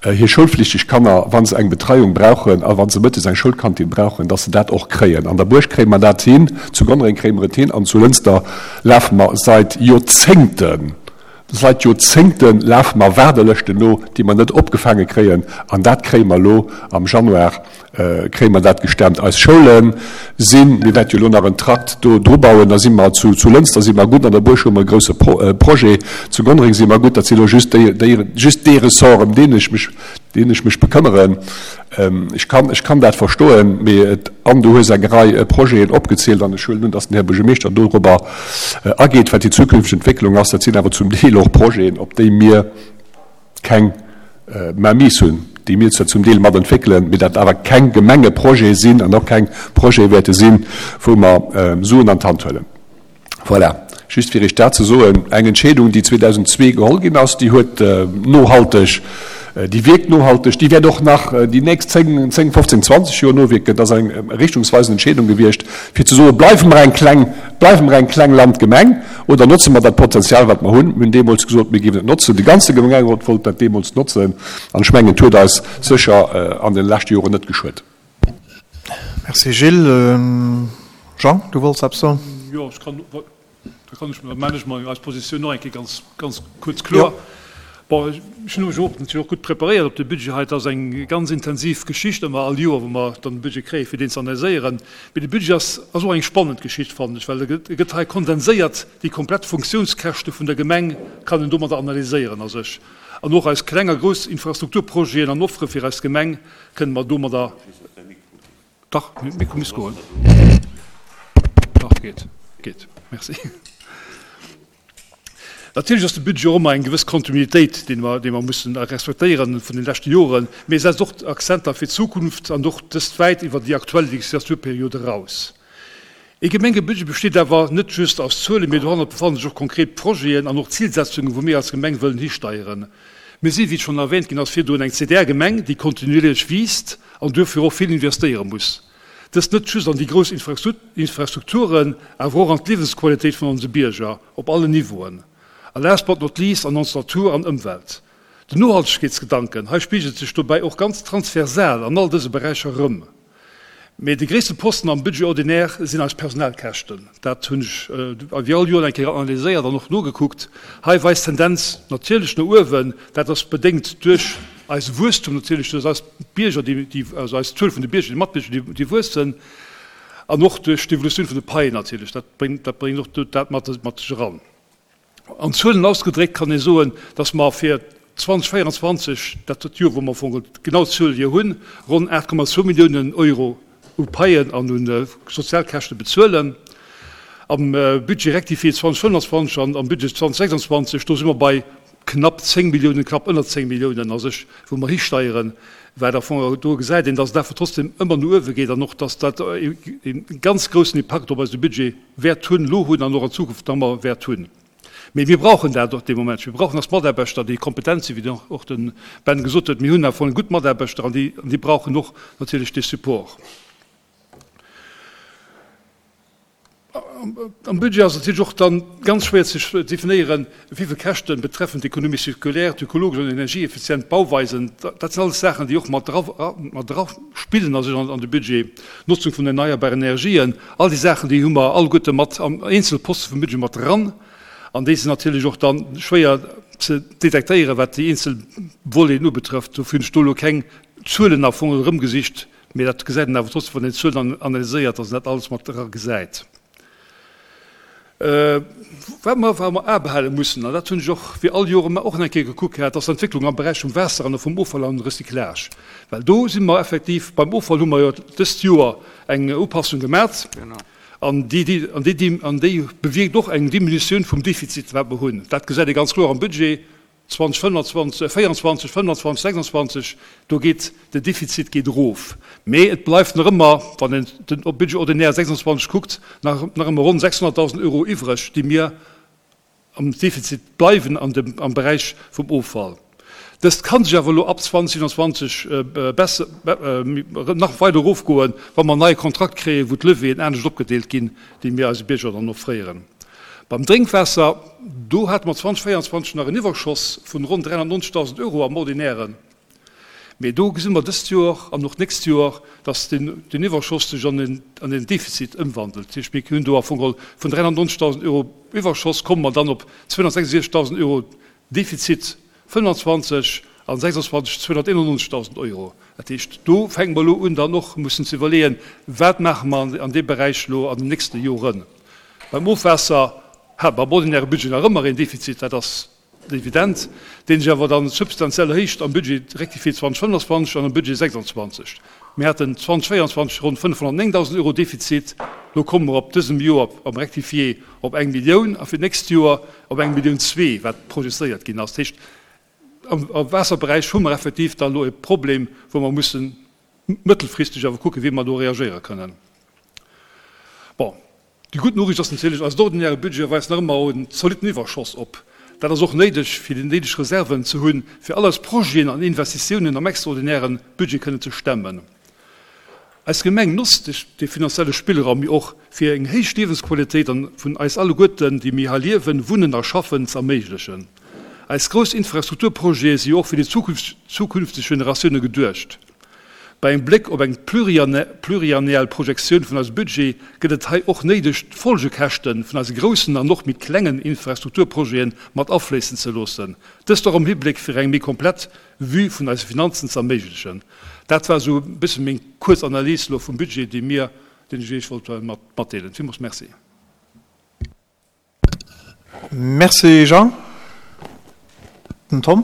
hir schoulflichteg Kanner, wa se eng Betreiung brauchen a wa se mëttes eng Schoulkantin brauchen, dass se dat och kréien. An der Buerg kréie mer dat hin, zu Gonnereng kréie mer et hin an zu Lënster lafe mer seit Joerzéngten, Seit Joerzéngte lafe mer Waardelëschten no, déi mer net opgefaange kréien. An dat kréie mer elo am Januar, kréie mer dat gestemmt. Eis Schoule sinn, mir wäerte jo elo nach en Trakt do dru bauen, da si mer zu Lënster si mer gutt, an der Buerg hu mer e grouse Projet, zu Gonnereng si mer gutt. Dat si elo just déi, just dee Ressort, ëm deen ech mech, deen ech mech bekëmmeren. Ech kann, ech kann dat verstoen, mee et, an du hues eng Rei Projeten opgezielt an ech huelen un, dass den Här Buergermeeschter dorobber ageet, wat déi zukünfteg Entwécklung ass. Dat sinn awer zum Deel och Projeten, op déi mir keng Mainmise hunn, déi mir zwar zum Deel mat entwéckelen, mee dat awer keng Gemengeprojete sinn an och keng Projete wäerte sinn, wou mer Suen an d'Hand huelen. Voilà, just fir Iech dat ze soen. Eng Entscheedung, déi 2002 geholl ginn ass, déi huet nohalteg, déi wierkt nohalteg, déi wäert och nach déi nächst 10, 10, 15, 20 Joer nowierken. Dat ass eng richtungsweisend Entscheedung gewiescht, fir ze soen, Bleiwe mer eng kleng, bleiwe mer eng kleng Landgemeng oder notze mer dat Potenzial, wat mer hunn. Mir hunn deemools gesot, mir géifen et notzen. De ganze Gemengerot wollt dat deemools notzen an ech mengen, et huet eis sécher an de leschte Joren net geschuet. Merci Gilles. Jean, du wollts eppes soen? Jo, ech kann, da kann ech, da maan ech mol eis Positioun och eng Kéier ganz, ganz kuerz kloer. Bon, ech hunn mech och natierlech och gutt preparéiert op de Budget hei. Et ass eng ganz intensiv Geschicht ëmmer all Joer, wou mer dann de Budget kréien, fir deen ze analyséieren. Mee de Budget ass, ass och eng spannend Geschicht, fannen ech, well e gëtt, e gëtt hei kondenséiert, déi komplett Funktiounskäschte vun der Gemeng kann een domadder analyséieren a sech. An och eis kleng a grouss Infrastrukturprojeten an Offere fir eis Gemeng kënne mer domadder. Dach, Mikro misst goen. Dach, geet, geet. Merci. Natierlech ass de Budget och ëmmer eng gewëss Kontinuitéit, déi mer, déi mer mussen respektéieren vun de leschte Joren, mee e setzt och Akzenter fir d'Zukunft an och dëst wäit iwwer déi aktuell Legislaturperiod eraus. Ee Gemengebudget besteet awer net just aus Zuelen, mee dohannert befannen sech och konkret Projeten an och Zilsetzungen, wou mir als Gemeng wëllen histeieren. Mir sinn, wéi et schonn erwähnt ginn ass virdrun, eng CDR-Gemeng, déi kontinuierlech wiisst an duerfir och vill investéiere muss. Dëst net just an déi grouss Infrastrukturen, awer och an d'Liewensqualitéit vun onse Bierger op allen Niveauen. A last but not least an ons Natur an Ëmwelt. Den Nohaltegkeetsgedanken hei spigelt sech dobäi och ganz transversal an all dëse Beräicher erëm. Mee de gréisste Posten am Budget ordinaire sinn eis Personalkäschten. Dat hunn ech wéi all Joer eng Kéier analyséiert an och nogekuckt. Hei weist d'Tendenz natierlech no uewen. Dat ass bedéngt duerch eise Wuesstum natierlech, duerch eis Bierger, déi, also eis Zuel vun de Bierger, déi Matbierger, déi wuessen, an och duerch d'Evolutioun vun de Paien natierlech. Dat bréngt, dat bréngt och dat mat sech eran. An Zuelen ausgedréckt kann ee soen, dass mer fir 2024, dat ass d'Joer, wou mer am Fong genau d'Zuel hier hunn, ronn 8,2 Milliounen Euro u Paien an u Sozialkäschte bezuelen. Am Budget rectifié 2025 an am Budget 2026, do si mer bei. knapp 10 Milliounen, knapp ënner 10 Milliounen a sech, wou mer histeieren, wat am Fong do gesäit een, dass et awer trotzdem ëmmer no uewe geet an och, dass dat e ganz groussen Impakt op eise Budget wäert hunn, elo hunn an och an Zukunft nach ëmmer wäert hunn. Mee mir brauchen dat och dee Moment. Mir brauchen als Mataarbechter, déi kompetent sinn, wéi och de Ben gesot huet. Mir hunn am Fong gutt Mataarbechter an déi brauchen och natierlech dee Support. Am Budget ass et natierlech och dann ganz schwéier ze definéieren, wéi vill Käschten betreffend d'Économie circulaire, d'ökologesch an energieeffizient Bauweisen, dat sinn alles Saachen, déi och mat dra spillen a sech an de Budget, d'Notzung vun erneierbaren Energien, all déi Saachen, déi hu mer alleguerte mat am eenzel Poste vum Budget mat dran an déi sinn natierlech och dann schwéier ze detektéieren, wat déi eenzel Voleten ubetrëfft. Dofir hunn ech do elo keng Zuelen am Fong erëmgesicht. Mee dat gesäit een awer trotzdem, wann een d'Zuelen analyséiert, dass een dat alles mat era gesäit. Wat mer awer am A behale mussen, an dat hunn ech och wéi all Joer ëmmer och nach eng Kéier gekuckt gehat, ass d'Entwécklung am Beräich vum Waasser an och vum Offall an Recyclage. Well do si mer effektiv, beim Offall hu mer jo dëst Joer eng Upassung gemat an déi, an déi, an déi bewierkt och eng Diminutioun vum Defizit, wat mer hunn. Dat gesäit ee ganz kloer am Budget. 2025, 24, 25, 26, do geet den Defizit geet erof. Mee et bleift nach ëmmer, wann een den Budget ordinaire 26 kuckt, nach nach ëmmer ronn 600.000 Euro iwwreg, déi mir am Defizit bleiwen an dem, am Beräich vum Offall. Dëst ka sech awer elo ab 2027 besser, nach weider erofgoen, wa mer en neie Kontrakt kréien, wou d'Levieren anescht opgedeelt ginn, déi mir eise Bierger dann offréieren. Beim Drénkwaasser, do hate mer 2024 nach en Iwwerschoss vun ronn 390.000 Euro am Ordinären. Mee do gesi mer dëst Joer an och d'nächst Joer, dass deen Iwwerschoss sech an en Defizit ëmwandelt. Dat heescht, mir hunn do am Fong geholl vun 390.000 Euro Iwwerschoss komme mer dann op 266.000 Euro Defizit 25 an 26 291.000 Euro. Dat heescht, do fänke mer elo un dann och mussen ze iwwerleeën, wat maache mer an deem Beräich elo an den nächste Joren. Beim Ofwaasser hat mer am ordinäre Budget nach ëmmer een Defizit, dat ass evident, dee sech awer dann substantiell erhéicht am Budget rectifié 2025 an am Budget 26. Mir haten 2024 ronn 509.000 Euro Defizit, elo komme mer op dësem Joer am Rectifié op eng Millioun a fir d'nächst Joer op eng Millioun zwee, wat projezéiert ginn ass. Dat heescht, am Waasserberäich hu mer effektiv da elo e Problem, wou mer mussen mëttelfristeg awer kucken, wéi mer do reagéiere kënnen. Bon, déi gutt Noriicht ass natierlech, eisen ordinäre Budget weist nach ëmmer en zolitten Iwwerschoss op. Dat ass och néideg, fir déi néideg Reserven ze hunn, fir all eis Projeten an Investitiounen am extraordinäre Budget kënnen ze stemmen. Eis Gemeng notzt dee finanzielle Spillraum jo och, fir eng héich Liewensqualitéit an vun eis alleguerten, déi mir hei liewen, wunnen a schaffen, ze erméiglechen. Eis grouss Infrastrukturprojete si jo och fir déi zukünfteg Generatioune geduecht. Bei engem Bléck op eng pluriannuell Projektioun vun eisem Budget gëtt et hei och néideg, d'Folgekäschte vun eise groussen an och méi klengen Infrastrukturprojete mat afléissen ze loossen, dëst och am Hibléck fir eng méi komplett Vue vun eise Finanzen ze erméiglechen. Dat war esou e bësse meng kuerz Analys elo vum Budget, déi mir, deen ech Iech wollt matdeelen. Villmools Merci. Merci Jean. Den Tom.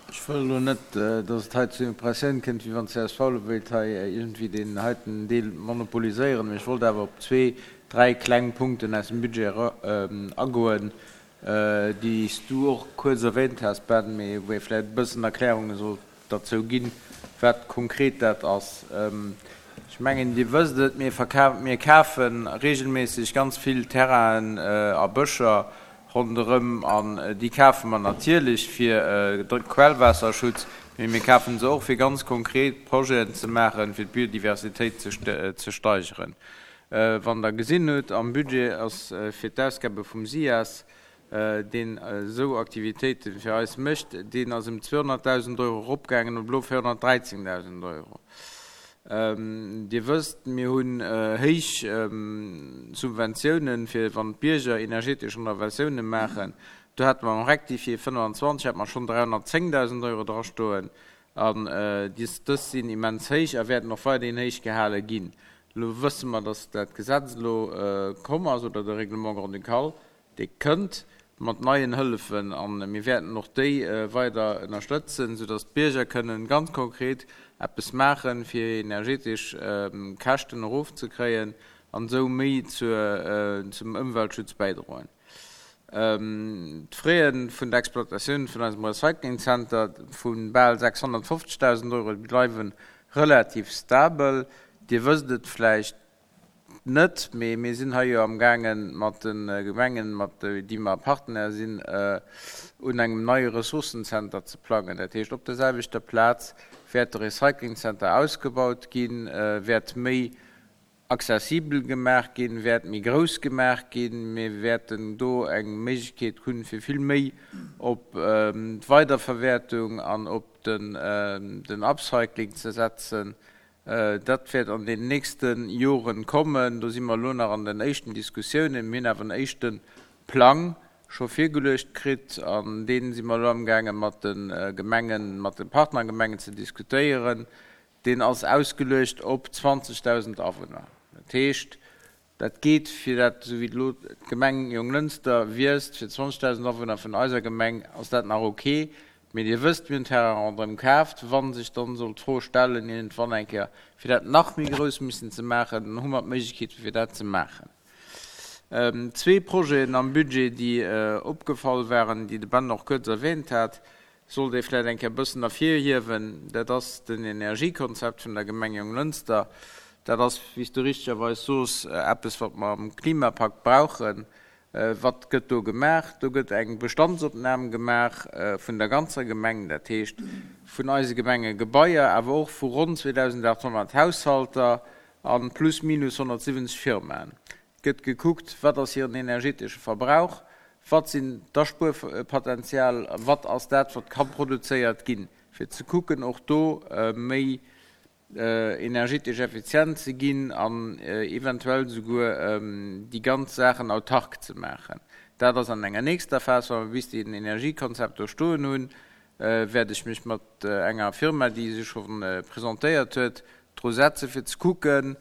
Ech wëll elo net, dass et hei zur Impressioun kënnt, wéi wann csv elo wéilt hei iergendwéi deen heiten Deel monopoliséieren, mee ech wollt awer op zwee, dräi kleng Punkten aus dem Budget agoen, déi s du och kuerz erwähnt has, Ben, mee wou ee vläicht e bëssen Erklärunge sollt derzou ginn, wat konkret dat ass. Ech mengen, Dir wësst et, mir mir kafe regelméisseg ganz vill Terrainen a Bëscher ronderëm an déi kafe mer natierlech fir de Quellwaasserschutz, mee mir kafe se och fir ganz konkret Projeten ze maachen, fir d'Biodiversitéit ze steigeren. Wann Der gesinn hutt, am Budget ass fir d'Ausgabe vum SIAS, deen esou Aktivitéite fir eis mécht, deen ass ëm 200.000 Euro eropgaangen op elo 413.000 Euro. Dir wësst, mir hunn héich Subventiounen, fir wann d'Bierger energetesch Renovatioune maachen. Do hate mer am Rectifié 25 hate mer schonn 310.000 Euro drastoen. An dës sinn immens héich a wäerten och weiderhin héich gehale ginn. Elo wësse mer, dass dat Gesetz elo komm ass, oder de Règlement grand-ducal, dee kënnt mat neien Hëllefen. A mir wäerten och déi weider ënnerstëtzen, soudass d'Bierger kënnen ganz konkret eppes maachen, fir hir energetesch Käschten erofzekréien an esou méi zum Ëmweltschutz bäidroen. D'Fraie vun der Exploitatioun vun eisem Recyclingzenter vu bal 650.000 Euro bleiwe relativ stabel. Dir wësst et vläicht net, mee mir sinn hei jo amgaange mat de Gemengen, mat déi mer Partenaire sinn, un engem neie Ressourcenzenter ze plangen. Dat heescht, op der selwechter Plaz wäert de Recyclingzenter ausgebaut ginn, wäert méi accessibel gemaach ginn, wäert méi grouss gemaach ginn. Mir wäerten do eng Méiglechkeet hunn, fir vill méi op d'Weiderverwäertung an op den Upcycling ze setzen. Dat wäert an den nächste Joren kommen. Do si mer elo nach an den éischten Diskussiounen. Mir hunn awer en éischte Plang scho virgeluecht kritt an dee si mer elo amgaange mat de Gemengen, mat de Partnergemengen ze diskutéieren. Deen ass ausgeluecht op 20.000 Awunner. Dat heescht, dat geet fir dat, esou wéi elo d'Gemeng Jonglënster wiisst, fir 20.000 Awunner vun eiser Gemeng ass dat nach ok. Mee Dir wësst, mir hunn Terrain ronderëm kaaft. Wa sech dann sollt d'Fro stellen, iergendwann eng Kéier, fir dat nach méi grouss missen ze maachen, dann hu mer d'Méiglechkeet, fir dat ze maachen. Zwee Projeten am Budget, déi opgefall waren, déi de Ben och kuerz erwähnt hat, sollt ee vläicht eng Kéier e bëssen ervirhiewen, dat ass den Energiekonzept vun der Gemeng Jonglënster. Dat ass, wéi s du richtegerweis soos, eppes, wat mer am Klimapakt brauchen. Wat gëtt do gemaach? Do gëtt eng Bestandsopnam gemaach vun der ganzer Gemeng, dat heescht vun eise Gemengegebaier, awer och vu ronn 2.800 Haushalter a plus minus 170 Firmaen. Et gëtt gekuckt, wat ass hiren energetesche Verbrauch, wat sinn d'Aspuerpotenzial, wat ass dat, wat ka produzéiert ginn, fir ze kucken, och do méi energetesch effizient ze ginn an eventuell souguer déi ganz Saachen autark ze maachen. Dat ass an enger nächster Phas, wa mer bis deen Energiekonzept do stoen hunn, wäert ech mech mat enger Firma, déi sech scho presentéiert huet, dru setzen, fir ze kucken,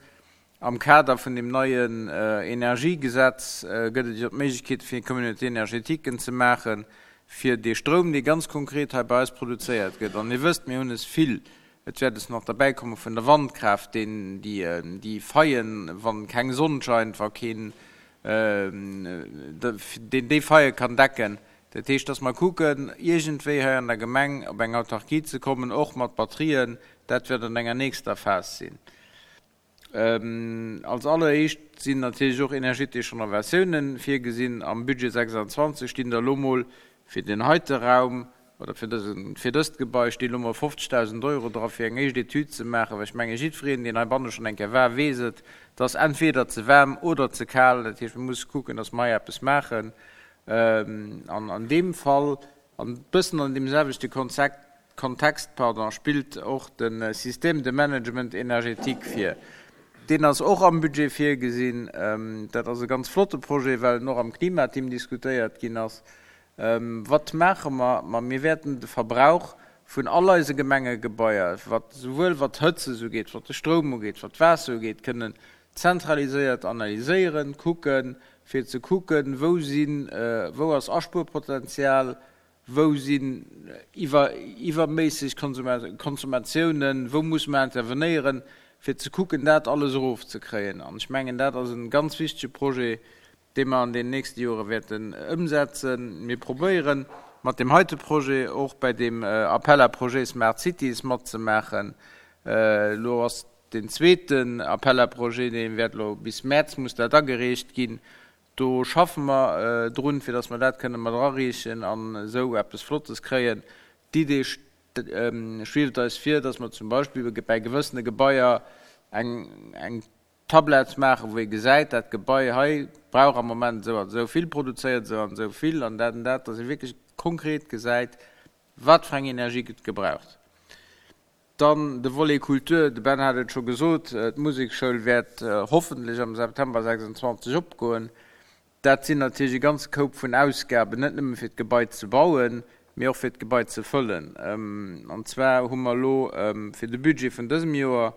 Am Kader vun deem neien Energiegesetz gëtt et jo d'Méiglechkeet, fir Communauté-énergétiquen ze maachen, fir dee Stroum, dee ganz konkret hei bei eis produzéiert gëtt, an Dir wësst, mir hunn es vill, et wäert es nach derbäikomme vun der Wandkraaft, deen déi Faillen, wa keng Sonn scheint, wa keen, deen déi Faille kann decken. Dat heescht, dass mer kucken, iergendwéi hei an der Gemeng op eng Autarkie ze kommen, och mat Batterien. Dat wäert an enger nächster Phas sinn. Als alleréischt sinn natierlech och energetesch Renovatiounen virgesinn. Am Budget 26 stinn der elo mol fir deen heite Raum oder fir dësen, fir dëst Gebai stinn elo mol 50.000 Euro dra fir eng éischt Etüd ze maachen, well ech menge jiddwereen, deen heibanne schonn eng Kéier war, weess et, et ass entweder ze waarm oder ze kal. Dat heescht, mir musse kucken, dass mer hei eppes maachen. An an deem Fall, an e bëssen an deem selwechte Konzept, Kontext, pardon, spillt och de Système de management énergétique vir. Deen ass och am Budget virgesinn. Dat ass e ganz flotte Projet, well en och am Klimateam diskutéiert ginn ass. Wat maache mer? Ma mir wäerten de Verbrauch vun all eise Gemengegebaier, wat souwuel wat d'Hëtzes ugeet, wat de Stroum ugeet, wat d'Waasser ugeet, kënnen zentraliséiert analyséieren, kucken, fir ze kucken, wou sinn, wou ass Aspuerpotenzial, Wou sinn iwwerméisseg Konsummatiounen? Wou musse mer intervenéieren, fir ze kucken, dat alles erofzekréien? An ech mengen, dat ass e ganz wichtege Projet, dee mer an den nächste Jore wäerten ëmsetzen. Mir probéieren, mat deem heite Projet och bei deem Appel à projets Smart Cities matzemaachen. Elo ass deen zweeten Appel à projets, dee wäert elo bis Mäerz muss dat agereecht ginn. Do schaffe mer drun, fir dass mer dat kënne mat erareechen an esou eppes Flottes kréien. D'Idee schwieft eis vir, dass mer zum Beispill bäi gewëssene Gebaier eng Tablett maachen, wou ee gesäit, dat Gebai hei brauch am Moment esou an esou vill, produzéiert esou an esou vill an dat an dat, dass ee wierklech konkret gesäit, wat fir eng Energie gëtt gebraucht. Dann de Volet Kultur, de Ben hat et scho gesot, d'Musekschoul wäert hoffentlech am September 26 opgoen. Dat sinn natierlech e ganze Koup vun Ausgaben, net nëmme fir d'Gebai ze bauen, mee och fir d'Gebai ze fëllen. An zwar hu mer elo fir de Budget vun dësem Joer,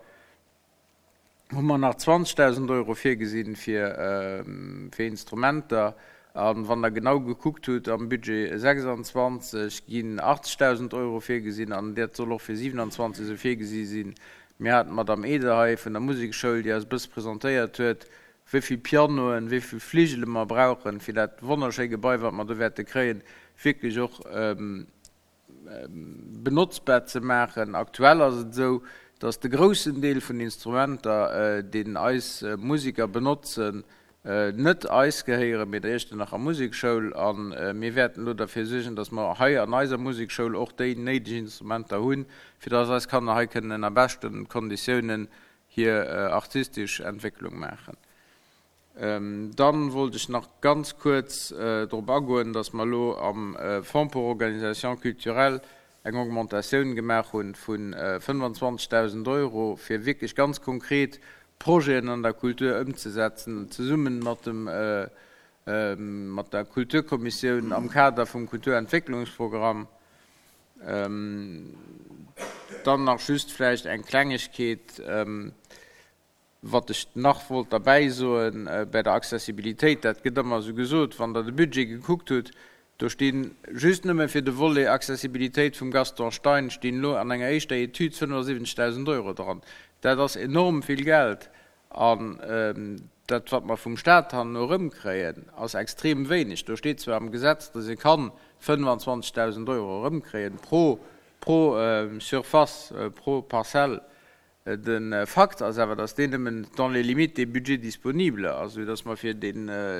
hu mer nach 20.000 Euro virgesinn fir fir Instrumenter. A wann Der genau gekuckt hutt, am Budget 26 ginn 80.000 Euro virgesinn an dat soll och fir 27 esou virgesi sinn. Mir haten d'Madame Eder hei vun der Musekschoul, déi eis e bësse presentéiert huet, Wéi vill Pianoen, wéi vill Fligele mer brauchen, fir dat wonnerschéi Gebai, wat mer do wäerte kréien, wierklech och benotzbar ze maachen. Aktuell ass et esou, dass de groussen Deel vun Instrumenter, deen eis Museker benotzen, net eis gehéieren, mee der Iechternacher Musekschoul. A mir wäerten elo derfir suergen, dass mer hei an eiser Musekschoul och déi néideg Instrumenter hunn, fir dass eis Kanner hei kënnen ënner beschten Konditiounen hir artistesch Entwécklung maachen. Dann wollt ech nach ganz kuerz drop agoen, dass mer elo am Fonds pour organisations culturelles eng Augmentatioun gemaach hu vu 25.000 Euro, fir wierklech ganz konkret Projeten an der Kultur ëmzesetzen, zesumme mat dem, mat der Kulturkommissioun am Kader vum Kulturentwécklungsprogramm. Dann nach just vläicht eng Klengegkeet, wat ech nach wollt derbäi soen, Bäi der Accessibilitéit, dat gëtt ëmmer esou gesot, wann Der de Budget gekuckt hutt, do stinn just nëmme fir de Volet Accessibilitéit vum Gaston Stein stinn elo an enger éischter Etüd 75.000 Euro dran. Dat ass enorm vill Geld. An dat, wat mer vum Stat herno erëmkréien, ass extrem wéineg. Do steet zwar am Gesetz, datt ee kann 25.000 Euro erëmkréien pro, pro Surface, pro Parzell. De Fakt ass awer, datt deen nëmmen dans les limites des budgets disponibles ass, esou datt mer fir dee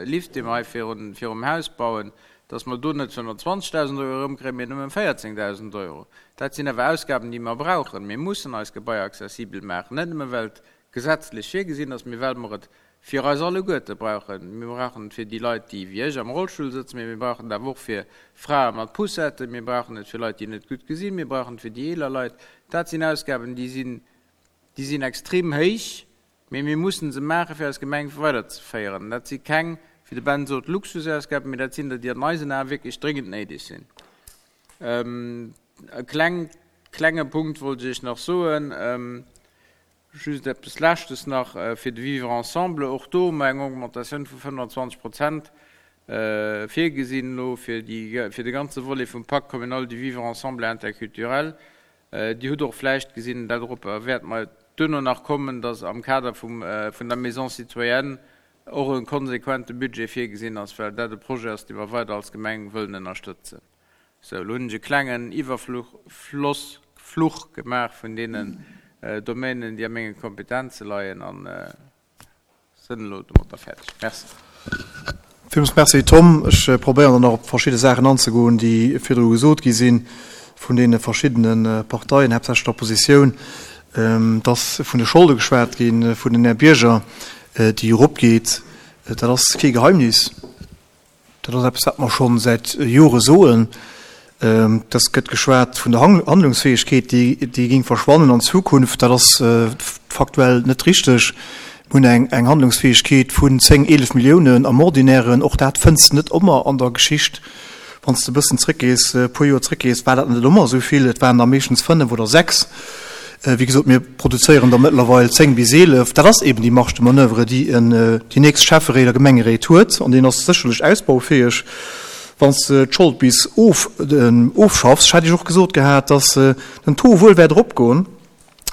Lift, dee mer hei virun, virum Haus bauen, datt mer do net 25.000 Euro erëmkréien, mee nëmmen 14.000 Euro. Dat sinn awer Ausgaben, déi mer brauchen. Mir mussen eis Gebaier accessibel maachen, net nëmme well et gesetzlech virgesinn ass, mee well mer et fir eis alleguerte brauchen. Mir brauchen et fir déi Leit, déi wéi ech am Rollstull sëtzen, mee mir brauchen et awer och fir Frae mat Poussetten, mir brauchen et fir Leit, déi net gutt gesinn, mir brauchen et fir déi eeler Leit. Dat sinn Ausgaben, déi sinn, déi sinn extrem héich, mee mir mussen se maachen, fir eis Gemeng weiderzeféieren. Dat si keng, wéi de Ben sot, Luxusausgaben, mee dat sinn der, déi an eisen Ae wierklech dréngend néideg sinn. E kleng, klenge Punkt wollt ech Iech nach soen. Just eppes Leschtes nach fir de Vivre ensemble. Och do hu mer eng Augmentatioun vu 25 Prozent virgesinn elo fir déi, fir de ganze Volet vum Pacte communal du vivre ensemble et interculturel. Dir hutt och vläicht gesinn, dat dorop wäerte mer duerno nach kommen, dass am Kader vum, vun der Maison citoyenne och e konsequente Budget virgesinn ass, well dat e Projet ass, dee mer weider als Gemeng wëllen ënnerstëtzen. Sou, elo hunn ech e klengen Iwwerfluch, Floss, Fluch gemaach vun deenen Domänen, déi a menge Kompetenze leien a sinn elo domatter fäerdeg. Merci. Villmools Merci, Tom. Ech probéieren dann nach op verschidde Saachen anzegoen, déi virdru gesot gi sinn vun deene verschiddene Parteien, haaptsächlech der Oppositioun. Et ass vun de Scholde geschwat ginn, vun den Här Bierger, déi eropgeet. Dat ass kee Geheimnis. Dat ass eppes, wat mer scho säit Jore soen. Et gëtt geschwat vun der Handlungsfäegkeet, déi géing verschwannen an Zukunft. Dat ass faktuell net richteg. Mir hunn eng Handlungsfäegkeet vun 10, 11 Milliounen am Ordinären. Och dat fënns de net ëmmer an der Geschicht. Wann s de e bëssen zréckgees, e puer Joer zréckgees, war dat net ëmmer esou vill. Et waren der meeschtens 5 oder 6. Wéi gesot, mir produzéieren der mëttlerweil 10 bis 11. Dat ass eben déi Marge de manoeuvre, déi en, déi nächst Schäfferéit a Gemengeréit huet. An deen ass sécherlech ausbaufäeg. Wann s de d'Schold bis of, ofschaffs, ech hat Iech och gesot gehat, dass den Taux wuel wäert eropgoen,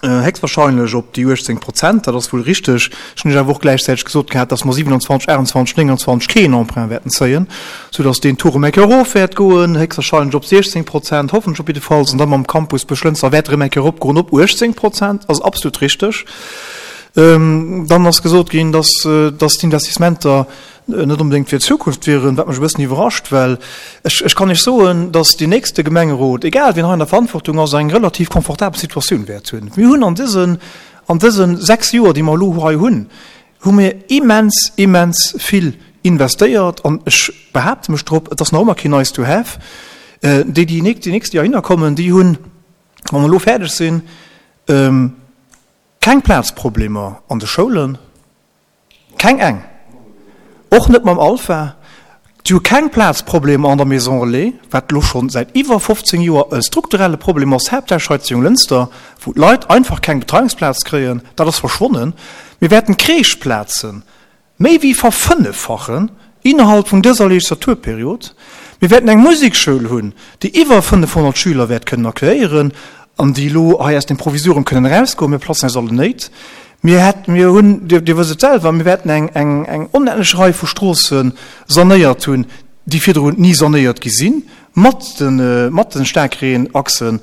héchstwahrscheinlech op déi 18 Prozent, dat ass wuel richteg. Ech hunn Iech awer och gläichzäiteg gesot gehat, dass mer 27, 28, 29 keen Emprunt wäerten zéien, soudass deen Taux erëm eng Kéier erof wäert goen, héchstwahrscheinlech op 16 Prozent, hoffentlech op jiddefalls, an da mam Campus Buerglënster wäert erëm eng Kéier eropgoen op 18 Prozent, ass absolut richteg. Dann ass gesot ginn, dass, dass d'Investissementer net onbedéngt fir d'Zukunft wieren, wat mech e bëssen iwwerrascht, well ech, ech kann Iech soen, dass deen nächste Gemengerot, egal wien hei an der Verantwortung ass, eng relativ komfortabel Situatioun wäert hunn. Mir hunn an dësen, an dëse 6 Joer, déi mer elo hei hunn, hu mir immens, immens vill investéiert an ech behaapte mech drop, et ass nach ëmmer keen nice to have. Déi, déi déi nächst Joer hinner kommen, déi hunn, wa mer elo fäerdeg sinn, keng Plazproblemer an de Schoulen. Keng eng. Och net mam Alpha. Si hu keng Plazproblemer an der Maison Relais, wat elo scho säit iwwer 15 Joer e strukturelle Problem ass, haaptsächlech hei zu Jonglënster, wou d'Leit einfach keng Betreiungsplaz kréien. Dat ass verschwonnen. Mir wäerten d'Crècheplaze méi wéi verfënneffachen innerhalb vun dëser Legislaturperiod. Mir wäerten eng Musekschoul hunn, déi iwwer 500 Schüler wäert kënnen accueillieren an déi elo hei aus dem Provisorium kënnen erausgoen. Mir platzen eis allen Néit. Mir hätt, mir hunn, Dir, Dir wësst et selwer, mir wäerten eng, eng, eng onendlech Rei vu Stroosse sanéiert hunn, déi virdrun ni sanéiert gi sinn, mat de, mat de Staarkreenachsen.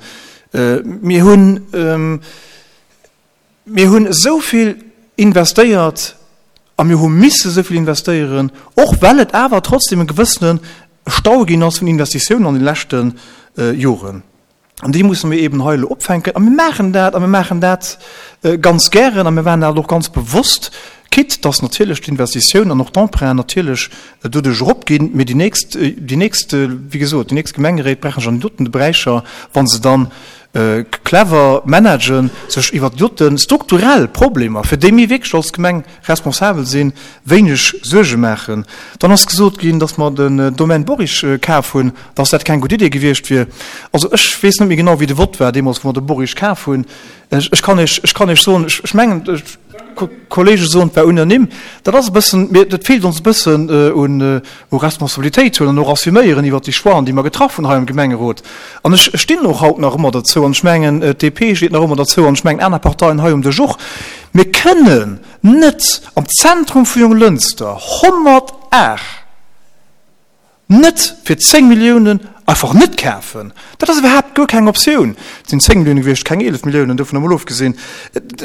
Mir hunn, mir hunn esou vill investéiert a mir hu misse esou vill investéieren, och well et awer trotzdem e gewëssene Stau ginn ass vun Investitiounen an de leschte Joren. An déi musse mir eben hei elo opfänken. A mir maachen dat, a mir maachen dat ganz gären, a mir maachen dat och ganz bewosst, quitte dass natierlech d'Investitioun an och d'Emprunten natierlech doduerch eropginn. Mee déi nächst, déi nächst, wéi gesot, déi nächst Gemengeréit brauchen sech an deenen doten Beräicher, wa se dann clever managen, sech iwwert déi dote strukturell Problemer, fir déi mir wierklech als Gemeng responsabel sinn, wéineg Suerge maachen. Dann ass gesot ginn, datt mer den Domaine Boric kaf hunn, datt dat keng gutt Idee gewiescht wier. Also ech weess net méi genau, wéi de Vott war deemools, wou mer de Boric kaf hunn. Ech kann Iech, ech kann Iech soen, ech mengen, d'Kollege soen, et war unanime. Dat ass e bëssen, mir, dat feelt ons e bëssen un u Responsabilitéit huelen an och assuméieren iwwert déi Choixen, déi mer getraff hunn hei am Gemengerot. An ech stinn och haut nach ëmmer derzou, an ech mengen, d'DP steet nach ëmmer derzou, an ech mengen aner Parteien hei um Dësch och, Mir kënnen net am Zentrum vu Jonglënster 108 net fir 10 Milliounen einfach net kafen. Dat ass iwwerhaapt guer keng Optioun. Et sinn 10 Millioune gewiescht, keng 11 Milliounen, dovun emol ofgesinn.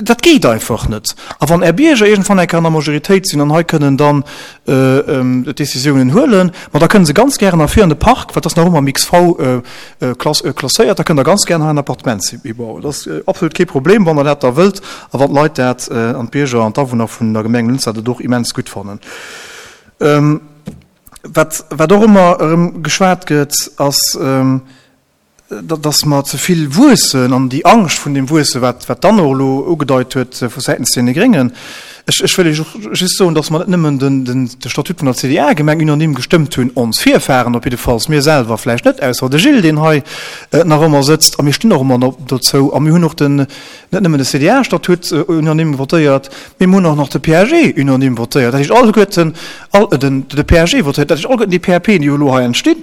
Dat geet einfach net. A wann Är Bierger iergendwann eng Kéier an der Majoritéit sinn an hei kënnen dann Decisiounen huelen, ma da kënnen se ganz gären ervir an de Park, well et ass nach ëmmer am XV klasséiert, da kënnt Der ganz gären hei en Appartement hibauen. Dat ass absolut kee Problem, wann Der dat da wëllt a wann d'Leit dat an d'Bierger an d'Awunner vun der Gemeng Lënster dat och immens gutt fannen. Wat, wat och ëmmer erëm geschwat gëtt, ass, dass mer ze vill wuessen an déi Angscht vun deem Wuesse, wat, wat d'Anne och elo ugedeit huet vu säitens deene Gréngen. Ech, ech wëll Iech och just soen, dass mer net nëmmen den, den, de Statut vun der CDA-Gemeng unanime gestëmmt hunn, ons Virfahren op jiddefalls, mir selwer vläicht net, ausser de Gilles, deen hei nach ëmmer sëtzt, a mir stinn och ëmmer dozou, a mir hunn och den, net nëmmen de CDA-Statut unanime votéiert, mee mir hunn och nach de PAG unanime votéiert. Dat heescht, alleguerten, all, den, de PAG votéiert, dat heescht, alleguerten déi PAPen, déi elo hei entstinn,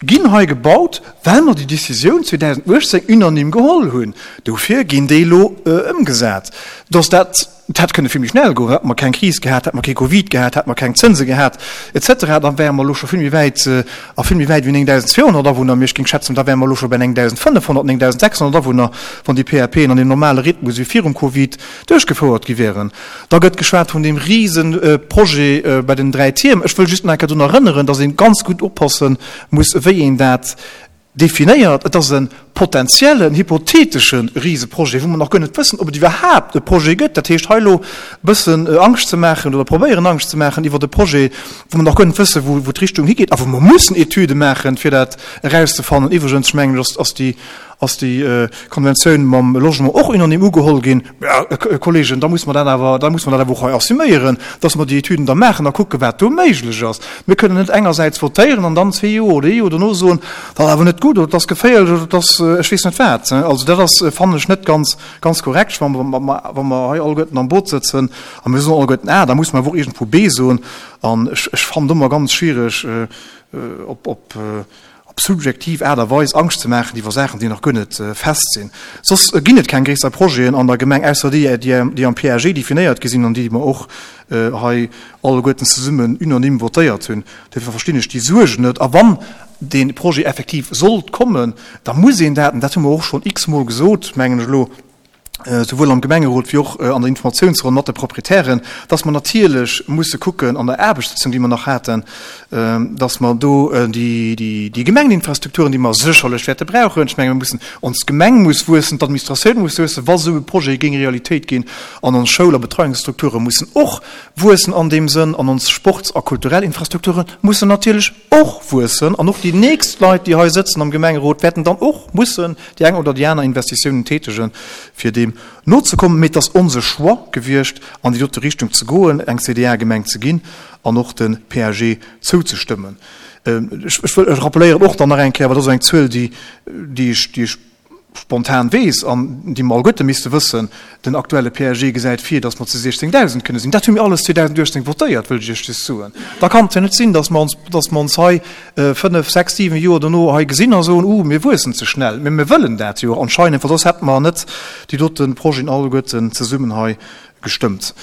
ginn hei gebaut, well mer déi Décisioun 2018 unanime geholl hunn. Dofir ginn déi elo ëmgesat. Dass dat Et hätt kënne vill méi schnell goen, hätte mer keng Kris gehat, hätte mer kee Covid gehat, hätte mer keng Zënse gehat, et cetera, da wäre mer elo scho vill méi wäit a vill méi wäit wéi 9.200 Awunner. Mee ech géing schätzen, da wäre mer elo scho bei 9.500, 9.600 Awunner, wann déi PAPen an deem normale Rhythmus wéi virum Covid duerchgefouert gi wären. Da gëtt geschwat vun deem Riseprojet bei den 3 Tierm. Ech wëll just nach eng Kéier drun erënneren, dass ee ganz gutt oppasse muss, wéi een dat Definéiert. Et ass e potentiellen, hypothetesche Riseprojet, wou mer nach guer net wëssen, ob et iwwerhaapt e Projet gëtt. Dat heescht, hei elo e bëssen Angscht ze maachen oder probéieren Angscht ze maachen iwwert e Projet, wou mer nach guer net wëssen, wou d'Richtung higeet a wou mer mussen Etüde maachen, fir dat erauszefannen. Iwwregens, ech mengen, ass déi ass déi Konventioun mam Logement och unanime ugeholl ginn. Mä, Kolleegen, da muss mer dat awer, da muss mer dat awer och hei assuméieren, dass mer déi Etüden da maachen a kucken, wat do méiglech ass. Mir kënnen net engersäits votéieren an dann zwee Joer oder ee Joer dono soen, dat ass awer net gutt oder dat ass geféierlech oder dat ass ech weess net wat. Also dat ass, fannen ech, net ganz, ganz korrekt. Wa mer, wa mer hei alleguerten am Boot sëtzen a mir soen alleguerten A, da muss mer awer och iergendwou B soen. An ech, ech fannen et ëmmer ganz schwiereg, op, op, op subjektiv Aart a Weis Angscht ze maachen iwwer Saachen, déi nach guer net fest sinn. Soss ginn et keng gréisser Projeten an der Gemeng, ausser déi, déi am PAG definéiert gi sinn an déi mer och hei alleguerten zesummen unanime votéiert hunn. Duerfir verstinn ech déi Suerg net. A wann dee Projet effektiv sollt kommen, da muss een dat, an dat hu mer och schonn x-mol gesot, mengen ech elo, souwuel am Gemengerot wéi och an der Informatiounsronn mat de Proprietären, dass mer natierlech musse kucken an der Aarbechtssitzung, déi mer nach haten, dass mer do déi Gemengeninfrastrukturen, déi mer sécherlech wäerte brauchen, ech menge mir mussen, ons Gemeng muss wuessen, d'Administratioun muss wuessen, wa sou e Projet géing Realitéit ginn, an ons Schoul a Betreiungsstrukture mussen och wuessen an deem Sënn, an ons Sports a kulturell Infrastrukture mussen natierlech och wuessen an och déi nächst Leit, déi hei sëtzen am Gemengerot, wäerten dann och mussen déi eng oder déi aner Investitiounen tätegen, fir deem nozekommen. Mee et ass onse Choix gewiescht, an déi dote Richtung ze goen, eng CDA-Gemeng ze ginn an och de PAG zouzestëmmen. Ech wëll, ech rappeléieren och dann nach eng Kéier, well dat ass eng Zuel, déi, déi ech, déi ech spontan weess an déi mer alleguerte misste wëssen, den aktuelle PAG gesäit vir, datt mer zu 16.000 kënne sinn. Dat hu mir alles 2018 votéiert, wëll ech Iech just soen. Da kann et jo net sinn, datt mer ons, datt mer ons hei fënnef, sechs, siwen Joer dono hei gesinn a soen, Uh, mir wuessen ze schnell. Mä mir wëllen dat jo anscheinend, well soss hätte mer net déi dote Projeten alleguerten zesummen hei. Gestëmmt.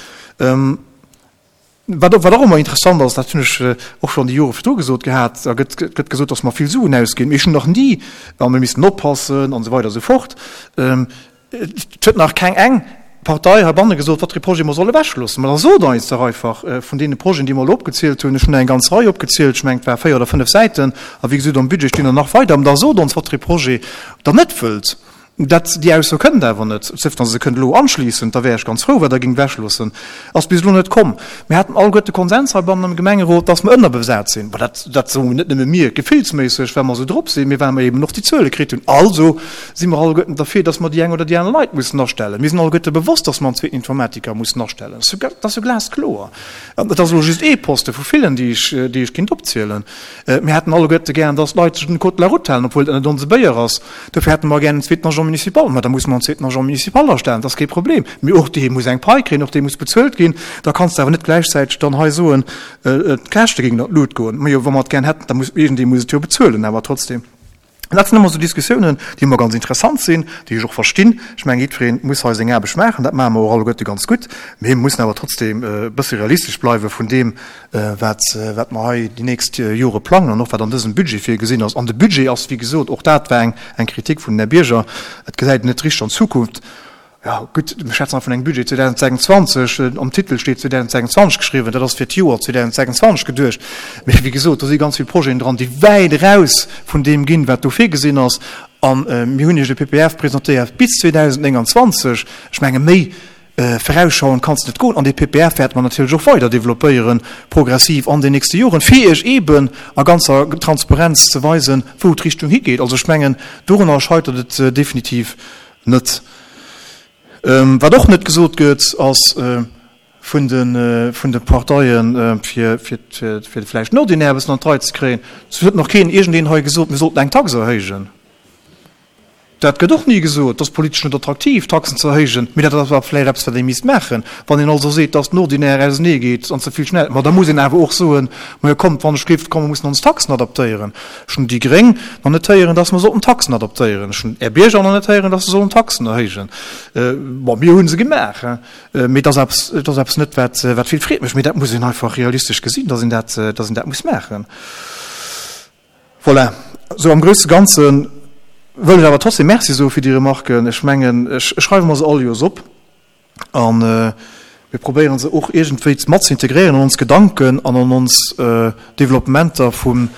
Wat och ëmmer interessant ass, dat hunn ech och schonn déi Jore virdru gesot gehat, da gëtt gëtt gesot, datt mer vill Suen ausginn. Mee ech hunn nach ni, a mir missten oppassen an esou weider esou fort, et huet nach keng eng Partei heibanne gesot, wat fir ee Projet mer solle ewechloossen. Mä da sot eis dach einfach vun deene Projeten, déi mer elo opgezielt hunn, ech hunn der eng ganz Rei opgezielt, ech mengen et war 4 oder 5 Säiten, a wéi gesot am Budget stinn der nach weider, mä da sot ons, wat fir ee Projet Der net wëllt. Dat, déi Ausso kënnt awer net. Sauf datt se kënnt elo anschliissend, da wär ech ganz frou, wat Der géingt ewechloossen. Ass bis elo net komm. Mir haten alleguerte Konsens heibannen am Gemengerot, datt mer ënnerbesat sinn. Bon, dat, dat soen net nëmme mir gefillsméisseg, well mer esou drop sinn, mee well mer eben och déi Zuele kritt hunn. Also si mer alleguerten derfir, datt mer déi eng oder déi aner Leit mussen astellen. Mir sinn alleguerte bewosst, datt mer en zweeten Informatiker mussen astellen. Dat ass jo glaskloer. An et ass elo just ee Poste vu villen, déi ech, déi ech kinnt opzielen. Mir hätten alleguerte gären, dass d'Leit sech un den Code de la route halen, obwuel dat net onse Béier ass. Dofir hätte mer gären en zweeten Agent municipal. Ma da musse mer en zweeten Agent municipal astellen, dat ass kee Problem. Mee och dee muss eng Pai kréien, och dee muss bezuelt ginn. Da kanns de awer net gläichzäiteg dann hei soen, d'Käschte géingen an d'Lut goen. Majo, wa mer et gären hätten, da muss iergendee muss et jo bezuelen awer trotzdem. An dat sinn ëmmer esou Diskussiounen, déi ëmmer ganz interessant sinn, déi ech och verstinn. Ech mengen, jiddweree muss hei seng Aarbecht maachen, dat maache mer och alleguerte ganz gutt. Mee mir mussen awer trotzdem e bësse realistesch bleiwe vun deem, wat, wat mer hei déi nächst Jore plangen an och wat an dësem Budget virgesinn ass. An de Budget ass, wéi gesot, och dat war eng, eng Kritik vun den Här Bierger, et gesäit een net richteg an d'Zukunft. Jo, gutt, mir schwätzen hei vun engem Budget 2026, am Titel steet 2026 geschriwwen, dat ass fir d'Joer 2026 geduecht. Mee wéi gesot, do si ganz vill Projeten dran, déi wäit eraus vun deem ginn, wat do virgesinn ass. A mir hunn Iech e PPF presentéiert bis 2029. Ech menge méi virausschauend kann s net goen. An dee PPF wäerte mer natierlech och weider developpéieren, progressiv an den nächste Joren, fir Iech eeben a ganzer Transparenz ze weisen, wou d'Richtung higeet. Also ech mengen, dorunner scheitert et definitiv Net. Wat och net gesot gëtt, ass vun de vun de Parteien, fir fir fir vläicht den Ordinaire e bëssen an d'Rei ze kréien, et huet nach keen iergendeen hei gesot, mir sollten eng Tax erhéijen. Dat gëtt och ni gesot. Et ass politesch net attraktiv, Taxen ze erhéijen, mee dat ass awer vläicht eppes, wat ee misst maachen. Wann een also seet, dass den Ordinaire auseneegeet an ze vill schnell, ma da muss een awer och soen, Majo kommt, wann ech géif, komm, mir mussen ons Taxen adaptéieren. Ech hunn déi Gréng nach net héieren, dass mer sollten Taxen adaptéieren. Ech hunn Är Bierger nach net héieren, dass se sollen Taxen erhéijen. Bon, mir hu se gemaach, mee et ass eppes, et ass eppes net, wat, wat vill Freed mécht. Mee dat muss een einfach realistesch gesinn, dass een dat, dass een dat muss maachen. Voilà. Sou am grousse Ganze wëll ech awer trotzdem Merci soe fir déi Remarken. Ech mengen, ech schreiwe mer se all Joers op. A mir probéieren se och iergendwéi mat ze integréieren an ons Gedanken an an ons Developpementer vum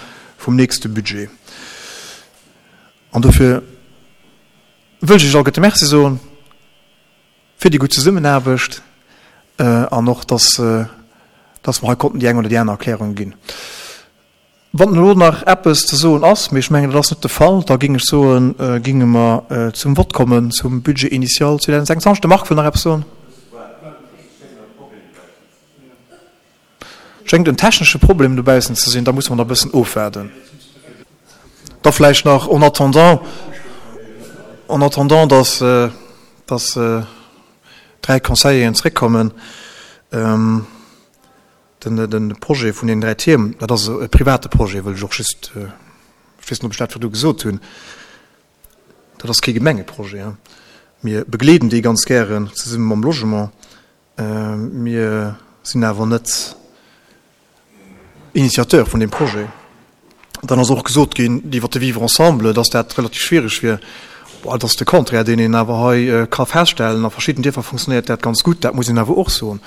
nächste Budget. An dofir wëll ech Iech alleguerte Merci soen fir déi gutt Zesummenaarbecht an och, dass mer hei konnten déi eng oder déi aner Erklärung ginn. Wann elo nach eppes ze soen ass, mee ech mengen, dat ass net de Fall, da géing ech soen, géinge mer zum Vott kommen zum Budget initial 2026. De Marc wëll nach eppes soen. Schéngt en technesche Problem dobaussen ze sinn, da musse mer nach e bëssen ofwaarden. Da vläicht nach en attendant, en attendant, dass, dass dräi Conseilleren zréckkommen. Den Projet vun deenen 3 Tierm, dat ass e private Projet, wëll ech och just, ech weess net, ob ech dat virdu gesot hunn, dat ass kee Gemengeprojet. Mir begleeden dee ganz gären zesumme mam Logement. Mir sinn awer net Initiateur vun deem Projet. Dann ass och gesot ginn iwwert de Vivre ensemble, dass dat relativ schwierig wier. Bon, dat ass de Contraire, deen een awer hei ka feststellen. A verschidden Dierfer funktionéiert dat ganz gutt, dat muss een awer och soen.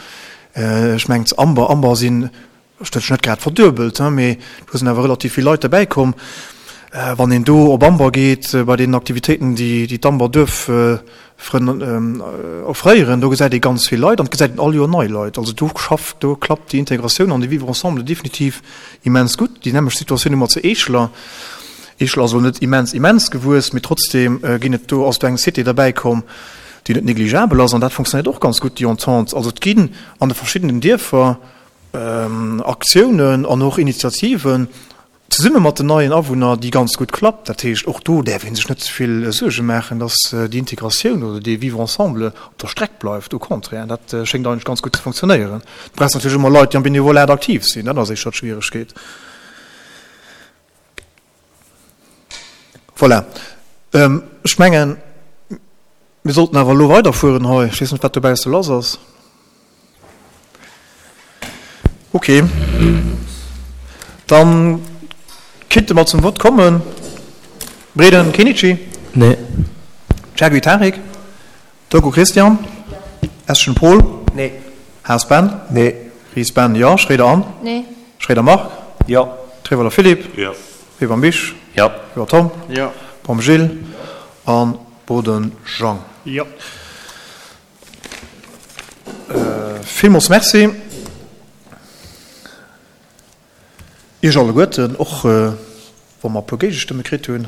Ech mengen zu Amber, Amber sinn, ech huet sech net grad verduebelt, mee do sinn awer relativ vill Leit derbäi komm. Wann een do op Amber geet, bei deenen Aktivitéiten, déi d'Amber Duerffrënn offréieren, do gesäit ee ganz vill Leit an et gesäit een all Joer nei Leit. Also do schafft, do klappt déi Integratioun an de Vivre ensemble definitiv immens gutt. Déi nämmlecht Situatioun hu mer zu Eescheler. Eescheler ass elo net immens, immens gewuess, mee trotzdeem ginn et do, ass do eng Cité derbäi komm, déi net négligeabel ass an dat funktionéiert och ganz gutt, déi Entente. Also et ginn an de verschiddenen Dierfer Aktiounen an och Initiativen zesumme mat den neien Awunner, déi ganz gutt klappt. Dat heescht, och do däerf ee sech net ze vill Suerge maachen, dass déi Integratioun oder dee Vivre ensemble op der Streck bleift. Au contraire, dat schéngt eigentlech ganz gutt ze funktionéieren. Du brauchs natierlech ëmmer Leit, déi am Benevolat aktiv sinn, dat ass éischter d'Schwieregkeet. Voilà. Ech mengen, mir sollten awer elo weiderfueren hei. Ech weess net, wat dobausse lass ass. Ok, dann kinnte mer zum Vott kommen. Breden Kenichi? Nee. Chergui Tarik? Turku Christian? Eschen Paul? Nee. Haas Ben? Nee. Ries Ben, Jo. Schroeder Anne? Nee. Schroeder Marc? Jo. Trevoller Philippe? Jo. Weber Misch? Jo. Weber Tom? Jo. Baum Gilles? An Boden Jean? Jo. Villmools Merci Iech alleguerten, och wa mer e puer Géigestëmme kritt hunn.